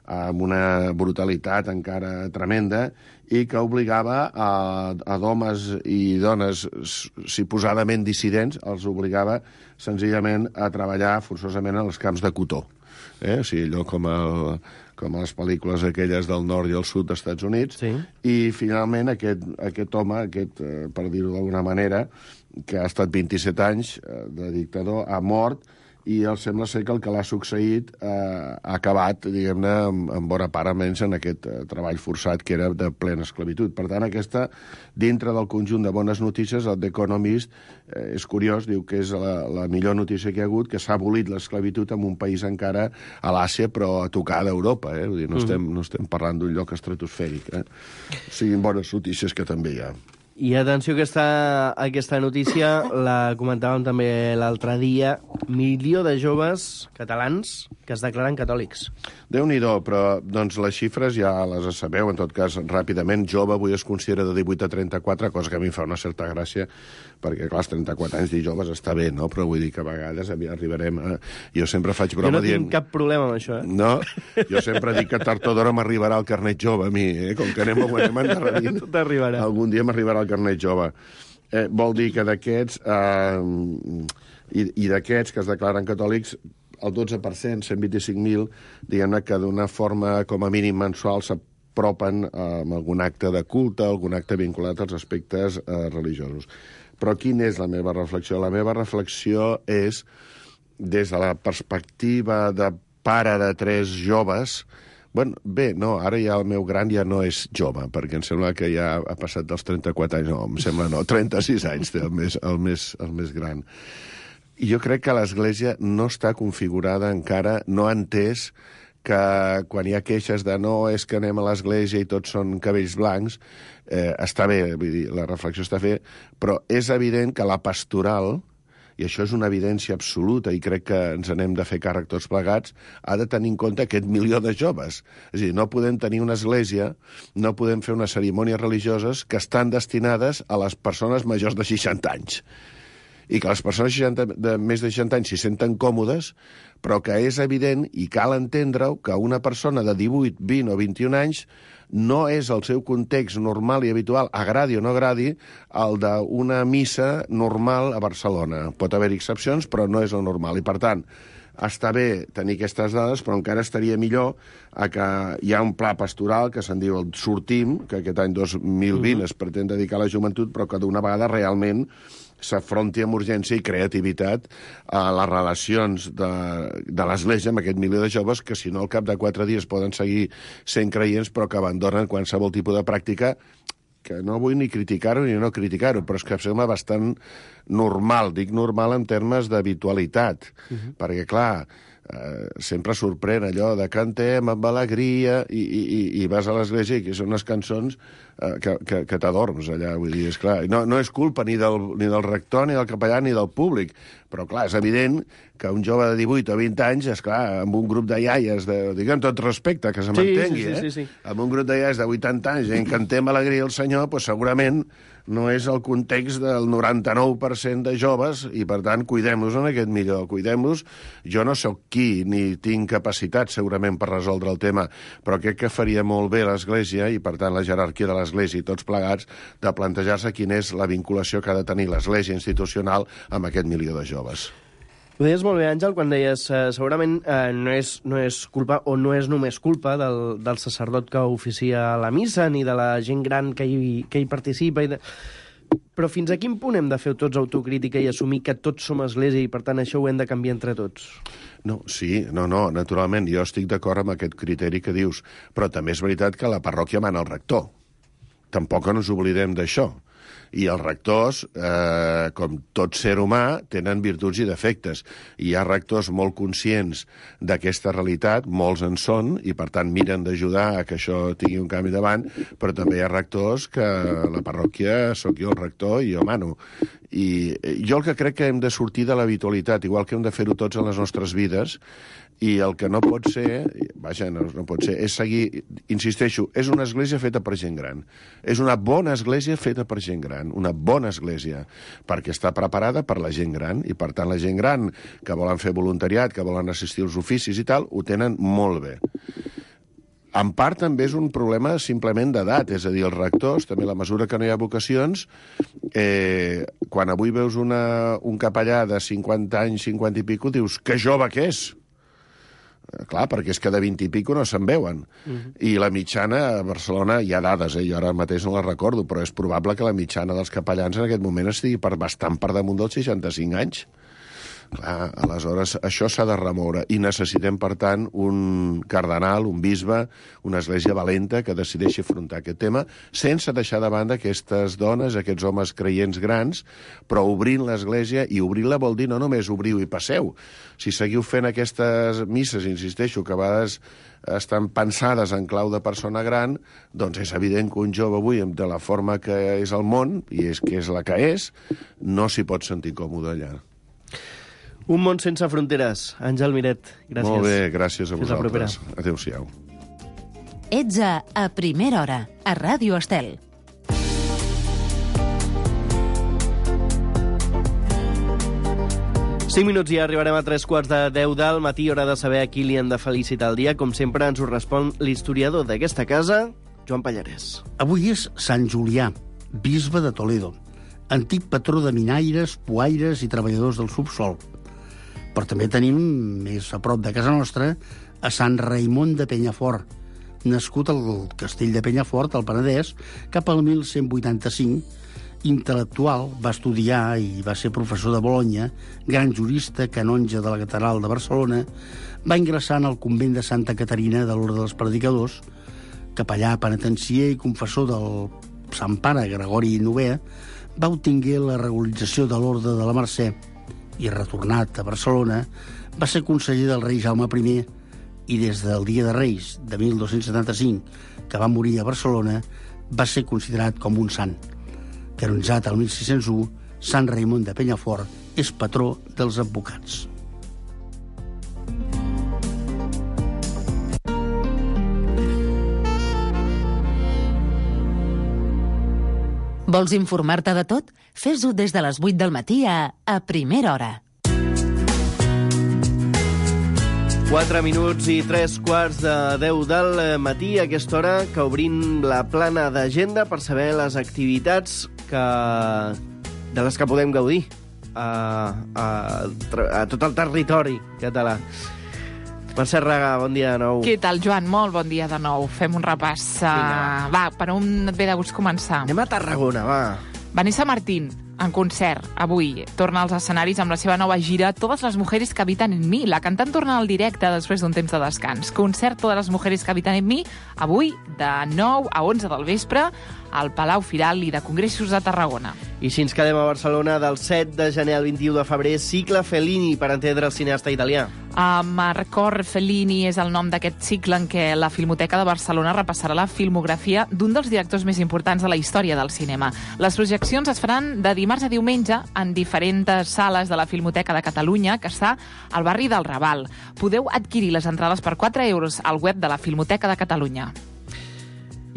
amb una brutalitat encara tremenda, i que obligava a homes i dones suposadament dissidents, els obligava senzillament a treballar forçosament en els camps de cotó. O sigui, allò com a les pel·lícules aquelles del nord i el sud dels Estats Units, i finalment aquest home, per dir-ho d'alguna manera, que ha estat 27 anys de dictador, ha mort, i sembla ser que el que l'ha succeït ha acabat, diguem-ne, en bona part, almenys en aquest treball forçat que era de plena esclavitud. Per tant, aquesta, dintre del conjunt de bones notícies, el The Economist és curiós, diu que és la millor notícia que hi ha hagut, que s'ha abolit l'esclavitud en un país encara a l'Àsia, però a tocar d'Europa. Vull dir, no estem parlant d'un lloc estratosfèric. Siguin bones notícies que també hi ha. I atenció que aquesta notícia la comentàvem també l'altre dia. 1 milió de joves catalans que es declaren catòlics. Déu-n'hi-do, però doncs, les xifres ja les sabeu, en tot cas, ràpidament. Jove avui es considera de 18 a 34, cosa que a mi em fa una certa gràcia, perquè, clar, als 34 anys dir joves està bé, no? Però vull dir que a vegades arribarem a... Jo sempre faig broma dient... Jo no tinc cap problema amb això, No, jo sempre dic que tard o d'hora m'arribarà el carnet jove, a mi, com que anem endarrerint. T'arribarà. Algun dia m'arribarà el carnet jove. Vol dir que d'aquests... I d'aquests que es declaren catòlics, el 12%, 125.000, diguem-ne que d'una forma com a mínim mensual s'apropen amb algun acte de culte, algun acte vinculat als aspectes religiosos. Però quina és la meva reflexió? La meva reflexió és, des de la perspectiva de pare de 3 joves, ara ja el meu gran ja no és jove, perquè em sembla que ja ha passat dels 34 anys, no, em sembla no, 36 anys té el més gran. I jo crec que l'Església no està configurada encara, no ha entès que quan hi ha queixes de no, és que anem a l'Església i tots són cabells blancs, està bé, vull dir, la reflexió està bé, però és evident que la pastoral, i això és una evidència absoluta i crec que ens n'hem de fer càrrec tots plegats, ha de tenir en compte aquest milió de joves. És a dir, no podem tenir una església, no podem fer unes cerimònies religioses que estan destinades a les persones majors de 60 anys. I que les persones de més de 60 anys s'hi senten còmodes, però que és evident i cal entendre-ho que una persona de 18, 20 o 21 anys no és el seu context normal i habitual, agradi o no agradi, el d'una missa normal a Barcelona. Pot haver excepcions, però no és el normal. I, per tant, està bé tenir aquestes dades, però encara estaria millor que hi ha un pla pastoral que se'n diu el Sortim, que aquest any 2020 es pretén dedicar a la joventut, però que d'una vegada realment s'afronti amb urgència i creativitat a les relacions de l'Església amb aquest milió de joves que, si no, al cap de 4 dies poden seguir sent creients, però que abandonen qualsevol tipus de pràctica que no vull ni criticar-ho ni no criticar-ho, però és que em sembla bastant normal, dic normal en termes d'habitualitat, perquè, clar, sempre sorprèn allò de cantem amb alegria i vas a l'església i que són unes cançons que t'adorms allà, vull dir, esclar. No és culpa ni del rector, ni del capellà, ni del públic, però, clar, és evident que un jove de 18 o 20 anys, esclar, amb un grup de iaies, diguem tot respecte, que se m'entengui, sí. Amb un grup de iaies de 80 anys i en cantem alegria al Senyor, doncs segurament no és el context del 99% de joves i, per tant, cuidem-los en aquest millor. Cuidem-los. Jo no sóc qui ni tinc capacitat, segurament, per resoldre el tema, però crec que faria molt bé l'Església i, per tant, la jerarquia de l'Església i tots plegats de plantejar-se quina és la vinculació que ha de tenir l'Església institucional amb aquest milió de joves. Ho deies molt bé, Àngel, quan deies segurament no és culpa o no és només culpa del sacerdot que oficia la missa ni de la gent gran que hi participa. Però fins a quin punt hem de fer tots autocrítica i assumir que tots som església i, per tant, això ho hem de canviar entre tots? No, naturalment, jo estic d'acord amb aquest criteri que dius, però també és veritat que la parròquia mana el rector. Tampoc no ens oblidem d'això. I els rectors, com tot ser humà, tenen virtuts i defectes. I hi ha rectors molt conscients d'aquesta realitat, molts en són, i per tant miren d'ajudar a que això tingui un canvi davant, però també hi ha rectors que la parròquia sóc jo el rector i jo mano. I jo el que crec que hem de sortir de l'habitualitat, igual que hem de fer-ho tots en les nostres vides, i el que no pot ser, no pot ser, és seguir, insisteixo, és una església feta per gent gran. És una bona església feta per gent gran, una bona església, perquè està preparada per la gent gran, i per tant la gent gran que volen fer voluntariat, que volen assistir als oficis i tal, ho tenen molt bé. En part també és un problema simplement d'edat, és a dir, els rectors, també a la mesura que no hi ha vocacions, quan avui veus un capellà de 50 anys, 50 i pico, dius, que jove que és! Clar, perquè és que de 20 i pico no se'n veuen. I la mitjana a Barcelona, hi ha dades, jo ara mateix no les recordo, però és probable que la mitjana dels capellans en aquest moment estigui bastant per damunt dels 65 anys. Clar, aleshores, això s'ha de remoure i necessitem, per tant, un cardenal, un bisbe, una església valenta que decideixi afrontar aquest tema sense deixar de banda aquestes dones, aquests homes creients grans, però obrint l'església, i obrir-la vol dir no només obriu i passeu. Si seguiu fent aquestes misses, insisteixo, que a vegades estan pensades en clau de persona gran, doncs és evident que un jove avui, de la forma que és el món, i és que és la que és, no s'hi pot sentir còmode allà. Un món sense fronteres. Àngel Miret, gràcies. Molt bé, gràcies a Fins la propera. vosaltres. Adéu-siau. Ets a Primera Hora, a Ràdio Estel. Cinc minuts i arribarem a 3:45 del matí, hora de saber a qui li han de felicitar el dia. Com sempre, ens ho respon l'historiador d'aquesta casa, Joan Pallarès. Avui és Sant Julià, bisbe de Toledo, antic patró de minaires, poaires i treballadors del subsol. Però també tenim, més a prop de casa nostra, a Sant Raimon de Penyafort, nascut al castell de Penyafort, al Penedès, cap al 1185, intel·lectual, va estudiar i va ser professor de Bolonya, gran jurista, canonge de la Catedral de Barcelona, va ingressar en el convent de Santa Caterina de l'Orde dels Predicadors, capellà penitencier i confessor del Sant Pare Gregori IX, va obtenir la regularització de l'Orde de la Mercè i, retornat a Barcelona, va ser conseller del rei Jaume I i des del Dia de Reis de 1275, que va morir a Barcelona, va ser considerat com un sant. Canonitzat el 1601, Sant Raimon de Penyafort és patró dels advocats. Vols informar-te de tot? Fes-ho des de les 8 del matí a Primera Hora. 4 minuts i 3:45 del matí, a aquesta hora que obrim la plana d'agenda per saber les activitats de les que podem gaudir a tot el territori català. Mercè Raga, bon dia de nou. Què tal, Joan? Molt bon dia de nou. Fem un repàs. Va, per on et ve de gust començar? Anem a Tarragona, va. Vanessa Martín, en concert, avui, torna als escenaris amb la seva nova gira Todas las mujeres que habitan en mí. La cantant torna al directe després d'un temps de descans. Concert Todas las mujeres que habitan en mí, avui, de 9 a 11 del vespre, al Palau Firal i de Congressos de Tarragona. I si ens quedem a Barcelona, del 7 de gener al 21 de febrer, cicle Fellini, per entendre el cineasta italià. Marcor Fellini és el nom d'aquest cicle en què la Filmoteca de Barcelona repassarà la filmografia d'un dels directors més importants de la història del cinema. Les projeccions es faran de dimarts a diumenge en diferents sales de la Filmoteca de Catalunya, que està al barri del Raval. Podeu adquirir les entrades per 4 euros al web de la Filmoteca de Catalunya.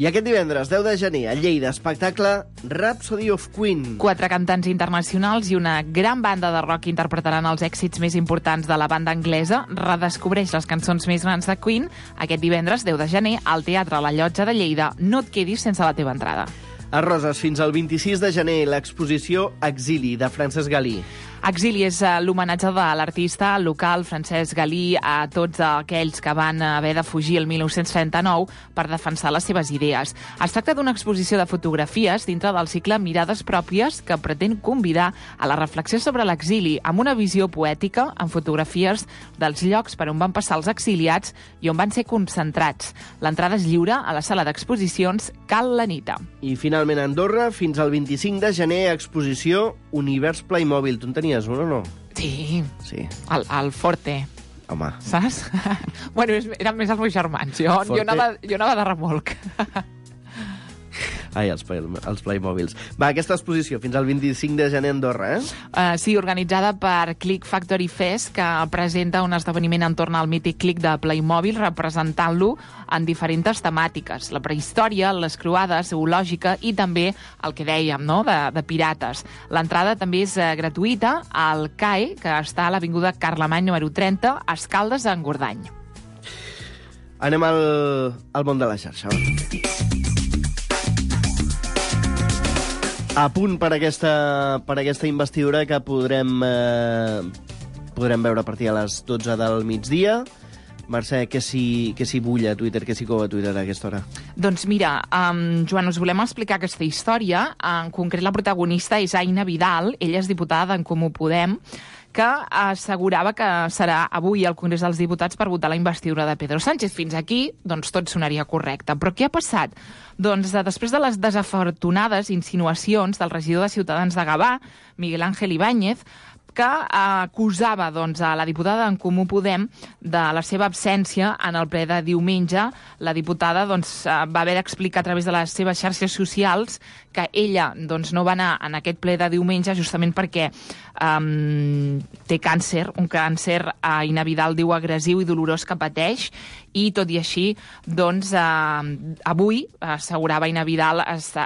I aquest divendres, 10 de gener, a Lleida, espectacle Rhapsody of Queen. 4 cantants internacionals i una gran banda de rock interpretaran els èxits més importants de la banda anglesa. Redescobreix les cançons més grans de Queen aquest divendres, 10 de gener, al Teatre La Llotja de Lleida. No et quedis sense la teva entrada. A Roses, fins al 26 de gener, l'exposició Exili, de Francesc Galí. Exili és l'homenatge de l'artista local Francesc Galí a tots aquells que van haver de fugir el 1939 per defensar les seves idees. Es tracta d'una exposició de fotografies dintre del cicle Mirades pròpies que pretén convidar a la reflexió sobre l'exili amb una visió poètica en fotografies dels llocs per on van passar els exiliats i on van ser concentrats. L'entrada és lliure a la sala d'exposicions Cal l'Anita. I finalment a Andorra, fins al 25 de gener, exposició Univers Playmobil. Tu en tenies un o no? Sí. Sí. El Forte. Home. Saps? Bueno, eren més els meus germans. Jo anava de remolc. Ai, els Playmobils. Va, aquesta exposició fins al 25 de gener a Andorra, Sí, organitzada per Click Factory Fest, que presenta un esdeveniment entorn al mític Click de Playmobil, representant-lo en diferents temàtiques. La prehistòria, les croades, zoològica i també el que dèiem, no?, de pirates. L'entrada també és gratuïta al CAE, que està a l'Avinguda Carlemany número 30, a Escaldes, a Engordany. Anem al món de la xarxa. A punt per aquesta investidura que podrem veure a partir de les 12 del migdia. Mercè, què s'hi bull a Twitter, què s'hi cou a Twitter a aquesta hora? Doncs mira, Joan, us volem explicar aquesta història. En concret, la protagonista és Aina Vidal, ella és diputada d'en Comú Podem, que assegurava que serà avui al Congrés dels Diputats per votar la investidura de Pedro Sánchez. Fins aquí, doncs, tot sonaria correcte. Però què ha passat? Doncs després de les desafortunades insinuacions del regidor de Ciutadans de Gavà, Miguel Ángel Ibáñez, que acusava a la diputada d'en Comú Podem de la seva absència en el ple de diumenge. La diputada va haver d'explicar a través de les seves xarxes socials que ella no va anar en aquest ple de diumenge justament perquè té càncer, un càncer a Ina Vidal diu agressiu i dolorós que pateix, i tot i així, avui, assegurava Ina Vidal,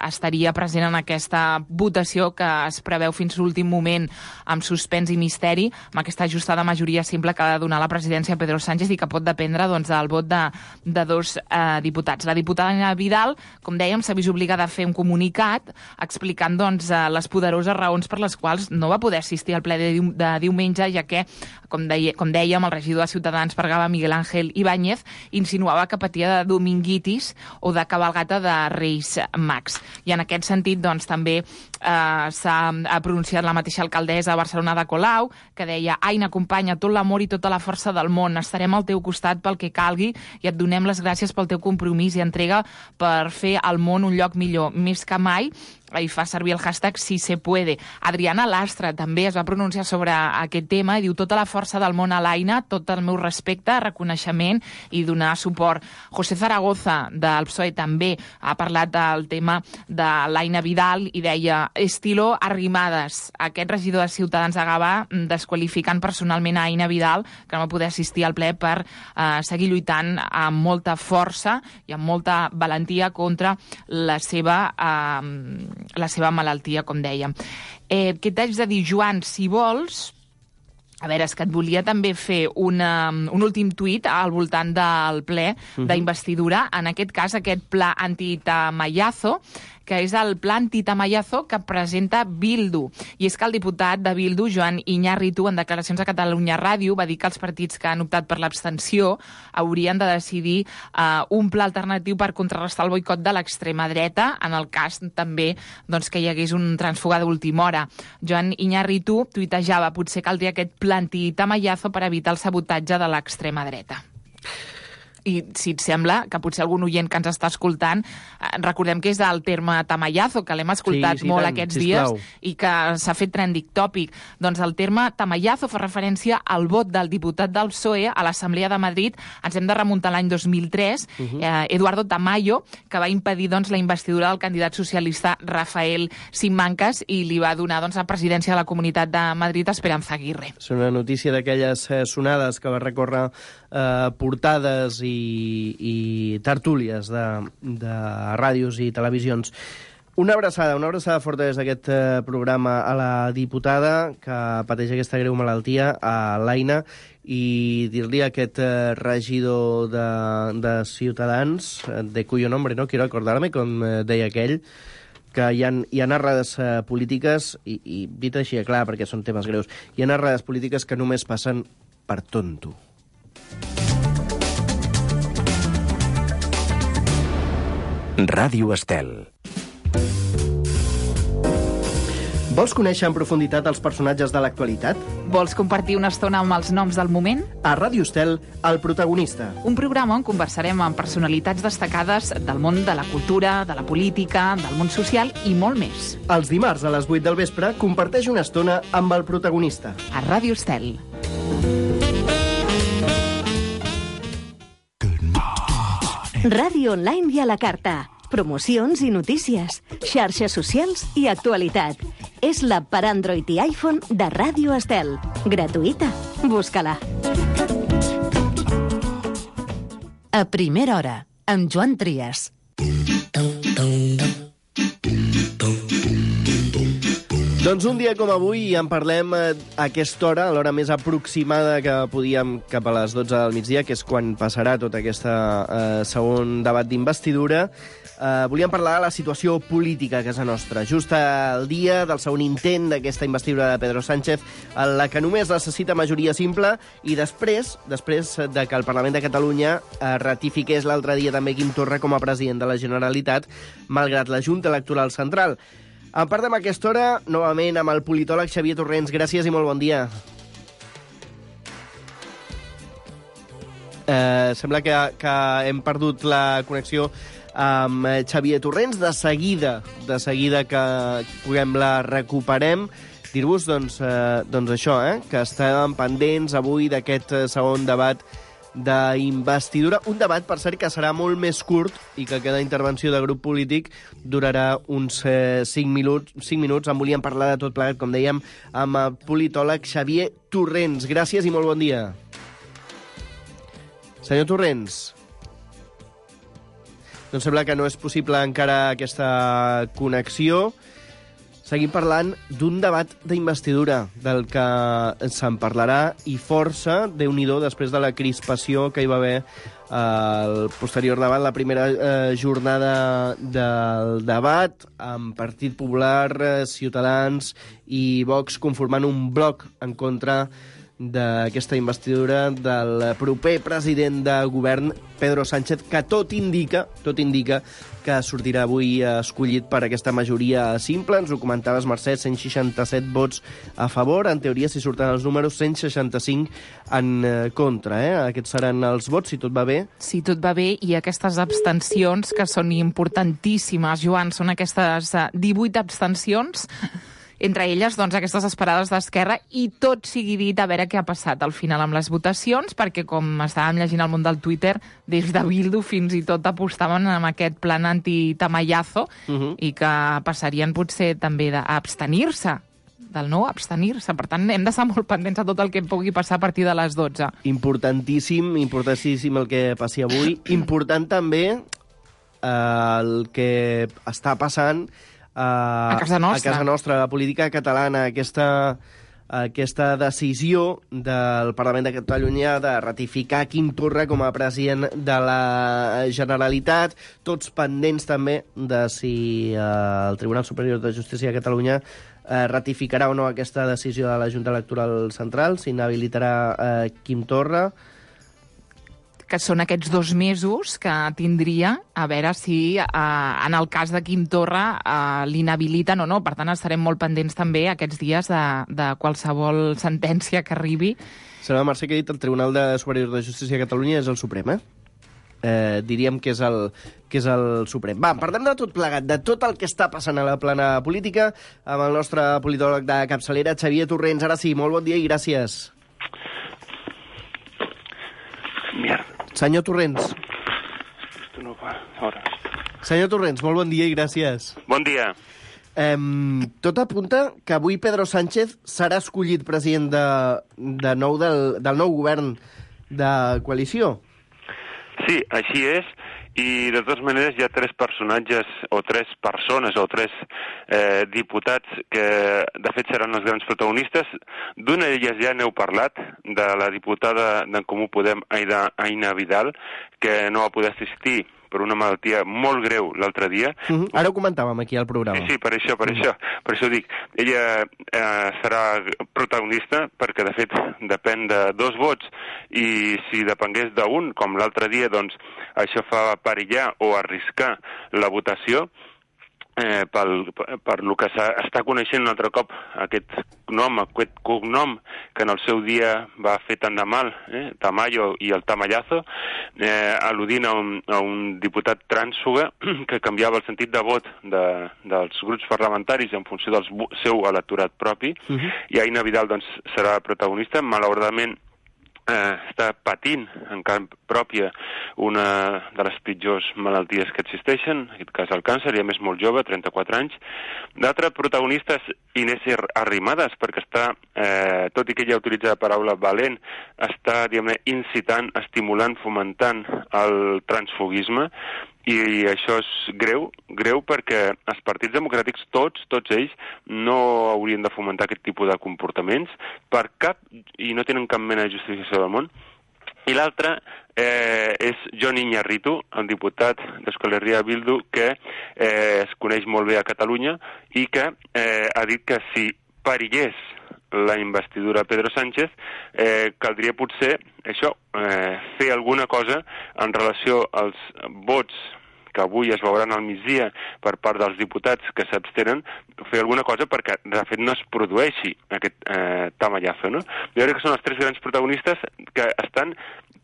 estaria present en aquesta votació que es preveu fins l'últim moment amb suspens i misteri, amb aquesta ajustada majoria simple que ha de donar la presidència a Pedro Sánchez i que pot dependre del vot de dos diputats. La diputada Ina Vidal, com dèiem, s'ha vist obligada a fer un comunicat explicant les poderoses raons per les quals no va poder assistir al ple de diumenge, ja que, com dèiem, el regidor de Ciutadans per Gavà, Miguel Ángel Ibáñez, insinuava que patia de dominguitis o de cabalgata de Reis Mags. I en aquest sentit, també s'ha pronunciat la mateixa alcaldessa de Barcelona de Colau, que deia: Aina, companya, tot l'amor i tota la força del món, estarem al teu costat pel que calgui i et donem les gràcies pel teu compromís i entrega per fer al món un lloc millor. Més que mai, i fa servir el hashtag Si se puede. Adriana Lastra també es va pronunciar sobre aquest tema i diu: tota la força del món a l'Aina, tot el meu respecte, reconeixement i donar suport. José Zaragoza, del PSOE, també ha parlat del tema de l'Aina Vidal i deia: estilo Arrimadas. Aquest regidor de Ciutadans de Gavà desqualificant personalment a Aina Vidal, que no va poder assistir al ple per seguir lluitant amb molta força i amb molta valentia contra la seva malaltia, com dèiem. Què t'haig de dir, Joan? Si vols, a veure, és que et volia també fer un últim tuit al voltant del ple d'investidura, en aquest cas aquest pla anti-Tamayazo, que és el pla anti-Tamayazo que presenta Bildu. I és que el diputat de Bildu, Joan Iñárritu, en declaracions a Catalunya Ràdio, va dir que els partits que han optat per l'abstenció haurien de decidir un pla alternatiu per contrarrestar el boicot de l'extrema dreta, en el cas també que hi hagués un transfuga d'última hora. Joan Iñárritu tuitejava: potser caldria aquest pla anti-Tamayazo per evitar el sabotatge de l'extrema dreta. I si et sembla, que potser algun oient que ens està escoltant, recordem que és el terme Tamayazo, que l'hem escoltat molt aquests dies i que s'ha fet trending topic. Doncs el terme Tamayazo fa referència al vot del diputat del PSOE a l'Assemblea de Madrid. Ens hem de remuntar a l'any 2003, Eduardo Tamayo, que va impedir la investidura del candidat socialista Rafael Simancas i li va donar la presidència de la Comunitat de Madrid a Esperanza Aguirre. És una notícia d'aquelles sonades que va recórrer portades i tertúlies de ràdios i televisions. Una abraçada forta des d'aquest programa a la diputada que pateix aquesta greu malaltia, a l'Aina, i dir-li a aquest regidor de Ciutadans, de cuyo nombre no quiero acordarme, com deia aquell, que hi ha errades polítiques, i dit així, clar, perquè són temes greus, hi ha errades polítiques que només passen per tonto. Ràdio Estel. Vols conèixer en profunditat els personatges de l'actualitat? Vols compartir una estona amb els noms del moment? A Ràdio Estel, El protagonista. Un programa on conversarem amb personalitats destacades del món de la cultura, de la política, del món social i molt més. Els dimarts a les 8 del vespre comparteix una estona amb El protagonista. A Ràdio Estel. Ràdio online i a la carta. Promocions i notícies, xarxes socials i actualitat. És l'app per Android i iPhone de Ràdio Estel. Gratuïta. Busca-la. A primera hora, amb Joan Trias. Doncs un dia com avui en parlem a aquesta hora, a l'hora més aproximada que podíem, cap a les 12 del migdia, que és quan passarà tot aquest segon debat d'investidura. Volíem parlar de la situació política a casa nostra, just el dia del segon intent d'aquesta investidura de Pedro Sánchez, en la que només necessita majoria simple, i després de que el Parlament de Catalunya ratifiqués l'altre dia també Quim Torra com a president de la Generalitat, malgrat la Junta Electoral Central. En parlem a aquesta hora, novament, amb el politòleg Xavier Torrents. Gràcies i molt bon dia. Sembla que hem perdut la connexió amb Xavier Torrents. De seguida que puguem la recuperem. Dir-vos, doncs això, que estàvem pendents avui d'aquest segon debat d'investidura. Un debat, per cert, que serà molt més curt i que cada intervenció de grup polític durarà uns 5 minuts. En volíem parlar de tot plegat, com dèiem, amb el politòleg Xavier Torrents. Gràcies i molt bon dia. Senyor Torrents. Doncs sembla que no és possible encara aquesta connexió. Seguim parlant d'un debat d'investidura, del que se'n parlarà i força, Déu-n'hi-do, després de la crispació que hi va haver al posterior debat, la primera jornada del debat, amb Partit Popular, Ciutadans i Vox conformant un bloc en contra d'aquesta investidura del proper president de govern, Pedro Sánchez, que tot indica que sortirà avui escollit per aquesta majoria simple. Ens ho comentaves, Mercè, 167 vots a favor. En teoria, si surten els números, 165 en contra. Aquests seran els vots, si tot va bé. Si tot va bé, i aquestes abstencions, que són importantíssimes, Joan, són aquestes 18 abstencions, entre elles, doncs, aquestes esperades d'Esquerra, i tot sigui dit, a veure què ha passat al final amb les votacions, perquè, com estàvem llegint al món del Twitter, des de Bildu fins i tot apostaven amb aquest plan anti-tamallazo, i que passarien potser també d'abstenir-se, del no abstenir-se. Per tant, hem d'estar molt pendents a tot el que pugui passar a partir de les 12. Importantíssim el que passi avui. Important també el que està passant a casa nostra, la política catalana, aquesta decisió del Parlament de Catalunya de ratificar Quim Torra com a president de la Generalitat, tots pendents també de si el Tribunal Superior de Justícia de Catalunya ratificarà o no aquesta decisió de la Junta Electoral Central, si inhabilitarà Quim Torra, que són aquests 2 mesos que tindria, a veure si en el cas de Quim Torra l'inhabiliten o no. Per tant, estarem molt pendents també aquests dies de qualsevol sentència que arribi. Sembla, Mercè, que ha dit el Tribunal Superior de Justícia de Catalunya és el Suprem, diríem que és el Suprem. Va, parlem de tot plegat, de tot el que està passant a la plana política, amb el nostre politòleg de capçalera, Xavier Torrents. Ara sí, molt bon dia i gràcies. Mierda. Senyor Torrents. Senyor Torrents, molt bon dia i gràcies. Bon dia. Tot apunta que avui Pedro Sánchez serà escollit president del nou govern de coalició. Sí, així és. I, de totes maneres, hi ha 3 personatges, o 3 persones, o 3 diputats que, de fet, seran els grans protagonistes. D'una d'elles ja n'heu parlat, de la diputada d'en Comú Podem, Aina Vidal, que no va poder assistir per una malaltia molt greu l'altre dia. Ara ho comentàvem aquí al programa. Sí, per això dic. Ella serà protagonista perquè, de fet, depèn de 2 vots i si depengués d'un, com l'altre dia, doncs això fa perillar o arriscar la votació. Per lo que s'està coneixent un altre cop aquest cognom que en el seu dia va fer tant de mal, Tamayo i el Tamallazo, al·ludint a un diputat trànsfuga que canviava el sentit de vot dels grups parlamentaris en funció del seu electorat propi, i Aina Vidal doncs, serà protagonista. Malauradament està patint en carn pròpia una de les pitjors malalties que existeixen, en aquest cas el càncer, i a més molt jove, 34 anys. D'altre protagonista és Inés Arrimadas, perquè està, tot i que ella utilitza la paraula valent, està, diguem-ne, incitant, estimulant, fomentant el transfugisme, i això és greu perquè els partits democràtics, tots ells, no haurien de fomentar aquest tipus de comportaments per cap, i no tenen cap mena de justificació del món. I l'altre és Jon Iñarritu, el diputat d'Euskal Herria Bildu, que es coneix molt bé a Catalunya i que ha dit que si perillés la investidura de Pedro Sánchez, caldria potser això, fer alguna cosa en relació als vots que avui es veuran al migdia per part dels diputats que s'abstenen, fer alguna cosa perquè, de fet, no es produeixi aquest tamallazo, no? Jo crec que són els tres grans protagonistes que estan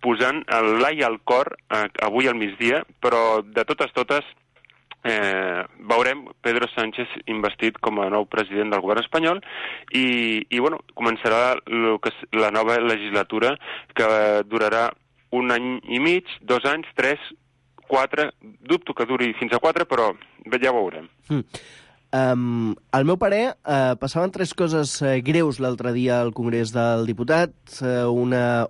posant l'ai al cor avui al migdia, però de totes, veurem Pedro Sánchez investit com a nou president del govern espanyol i bueno, començarà la nova legislatura que durarà 1 any i mig, 2 anys, 3, 4, dubto que duri fins a 4, però ja ho veurem. Al meu parer, passaven 3 coses greus l'altre dia al Congrés del Diputat. Una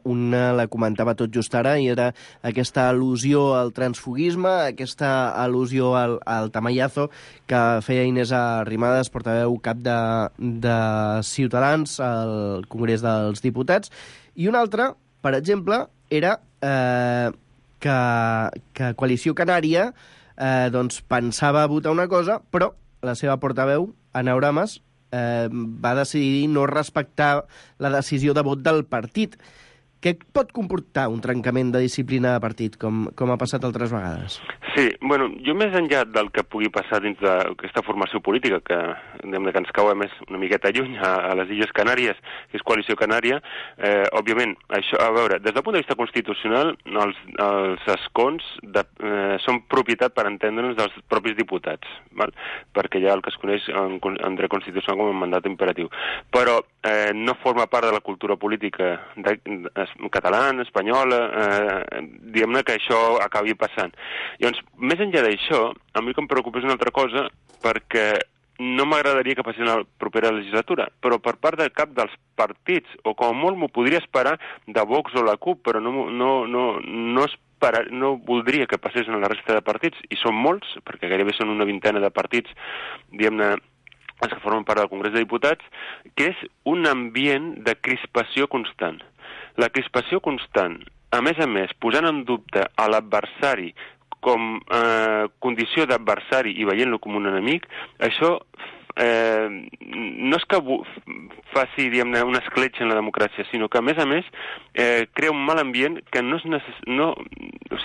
la comentava tot just ara, i era aquesta al·lusió al transfuguisme, aquesta al·lusió al tamallazo que feia Inés Arrimadas, portaveu cap de Ciutadans al Congrés dels Diputats. I una altra, per exemple, era que Coalició Canària doncs pensava votar una cosa, però la seva portaveu, Ana Oramas, va decidir no respectar la decisió de vot del partit. Què pot comportar un trencament de disciplina de partit, com ha passat altres vegades? Sí, bueno, jo més enllà del que pugui passar dins d'aquesta formació política, que ens cau més una miqueta lluny a les Illes Canàries, que és Coalició Canària, òbviament, això, a veure, des del punt de vista constitucional, els escons són propietat, per entendre'ns, dels propis diputats, val? Perquè hi ha el que es coneix en dret constitucional com a mandat imperatiu. Però no forma part de la cultura política catalana, espanyola, diguem-ne que això acabi passant. Llavors, més enllà d'això, a mi que em preocupa és una altra cosa, perquè no m'agradaria que passi en la propera legislatura, però per part de cap dels partits, o com a molt m'ho podria esperar de Vox o la CUP, però no voldria que passés en la resta de partits, i són molts, perquè gairebé són una vintena de partits, diguem-ne, els que formen part del Congrés de Diputats, que és un ambient de crispació constant. La crispació constant, a més, posant en dubte a l'adversari com condició d'adversari i veient-lo com un enemic, això no és que faci, diguem-ne, una escletxa en la democràcia, sinó que, a més, crea un mal ambient que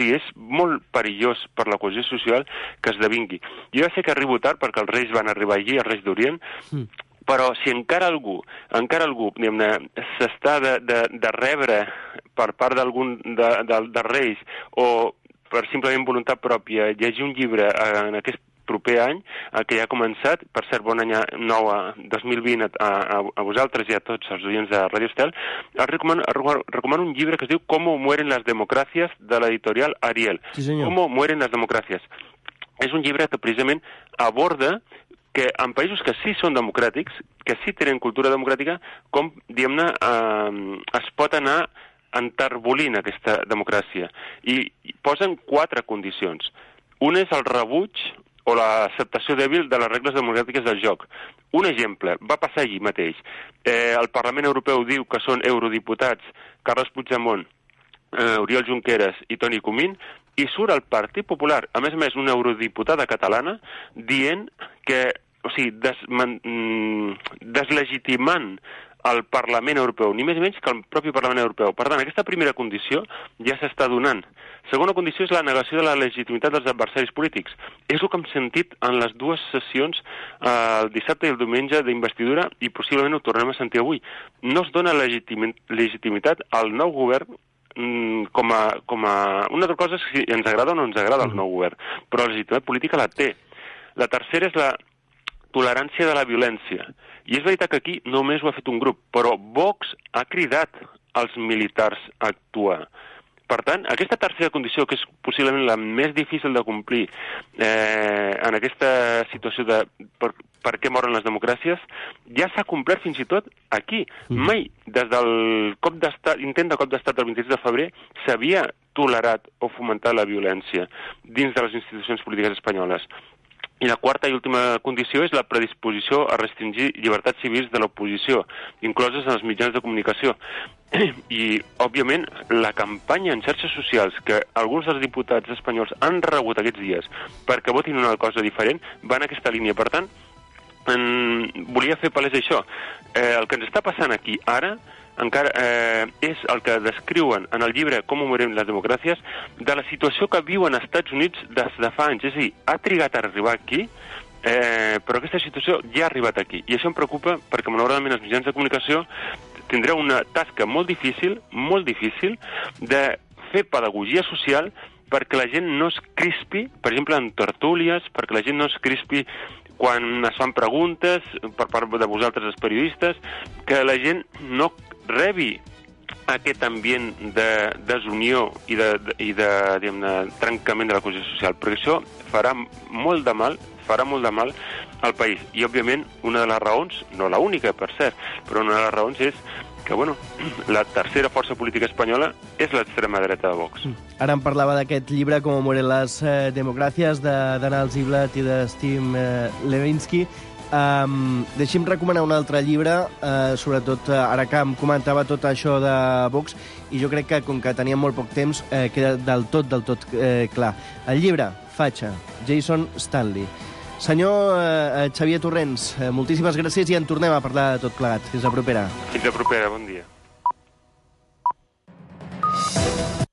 és molt perillós per la cohesió social que esdevingui. Jo ja sé que arribo tard perquè els reis van arribar allí, els reis d'Orient, però si encara algú, diguem-ne, s'està de rebre per part d'algun dels reis o per simplement voluntat pròpia llegir un llibre en aquest proper any, que ja ha començat, per cert, bon any nou a 2020 a vosaltres i a tots els oients de Radio Estel, recomano un llibre que es diu Cómo mueren las democracias, de l'editorial Ariel. Sí, senyor. Cómo mueren las democracias. És un llibre que precisament aborda que en països que sí són democràtics, que sí tenen cultura democràtica, com, diguem-ne, es pot anar enterbolint aquesta democràcia. I posen 4 condicions. Una és el rebuig o l'acceptació dèbil de les regles democràtiques del joc. Un exemple, va passar allí mateix. El Parlament Europeu diu que són eurodiputats Carles Puigdemont, Oriol Junqueras i Toni Comín, i surt el Partit Popular, a més, una eurodiputada catalana, dient que, o sigui, deslegitimant el Parlament Europeu, ni més ni menys que el propi Parlament Europeu. Per tant, aquesta primera condició ja s'està donant. Segona condició és la negació de la legitimitat dels adversaris polítics. És el que hem sentit en les 2 sessions, el dissabte i el diumenge d'investidura, i possiblement ho tornem a sentir avui. No es dona legitimitat al nou govern com a... Una altra cosa és si ens agrada o no ens agrada el nou govern, però la legitimitat política la té. La tercera és la tolerància de la violència. I és veritat que aquí només ho ha fet un grup, però Vox ha cridat als militars a actuar. Per tant, aquesta tercera condició, que és possiblement la més difícil de complir en aquesta situació de per què moren les democràcies, ja s'ha complert fins i tot aquí. Mai, des del intent de cop d'estat del 26 de febrer, s'havia tolerat o fomentat la violència dins de les institucions polítiques espanyoles. I la quarta i última condició és la predisposició a restringir llibertats civils de l'oposició, incloses en els mitjans de comunicació. I, òbviament, la campanya en xarxes socials que alguns dels diputats espanyols han rebut aquests dies perquè votin una cosa diferent va en aquesta línia. Per tant, volia fer palès això. El que ens està passant aquí ara encara és el que descriuen en el llibre Com morirem les democràcies, de la situació que viuen als Estats Units des de fa anys. És a dir, ha trigat a arribar aquí, però aquesta situació ja ha arribat aquí. I això em preocupa perquè, malauradament, els mitjans de comunicació tindreu una tasca molt difícil, de fer pedagogia social perquè la gent no es crispi, per exemple, en tertúlies, perquè la gent no es crispi quan es fan preguntes per part de vosaltres, els periodistes, que la gent no rebi aquest ambient de desunió i de trencament de la cohesió social, perquè això farà molt de mal al país. I, òbviament, una de les raons, no la única, per cert, però una de les raons és que, la tercera força política espanyola és l'extrema dreta de Vox. Ara em parlava d'aquest llibre, Com mueren les democràcies, d'Anal Ziblatt i de Steve Levinsky. Deixi'm recomanar un altre llibre, sobretot ara que em comentava tot això de Vox, i jo crec que, com que teníem molt poc temps, queda del tot clar. El llibre, Fatxa, Jason Stanley. Senyor Xavier Torrents, moltíssimes gràcies i en tornem a parlar de tot plegat. Fins la propera. Fins la propera, bon dia.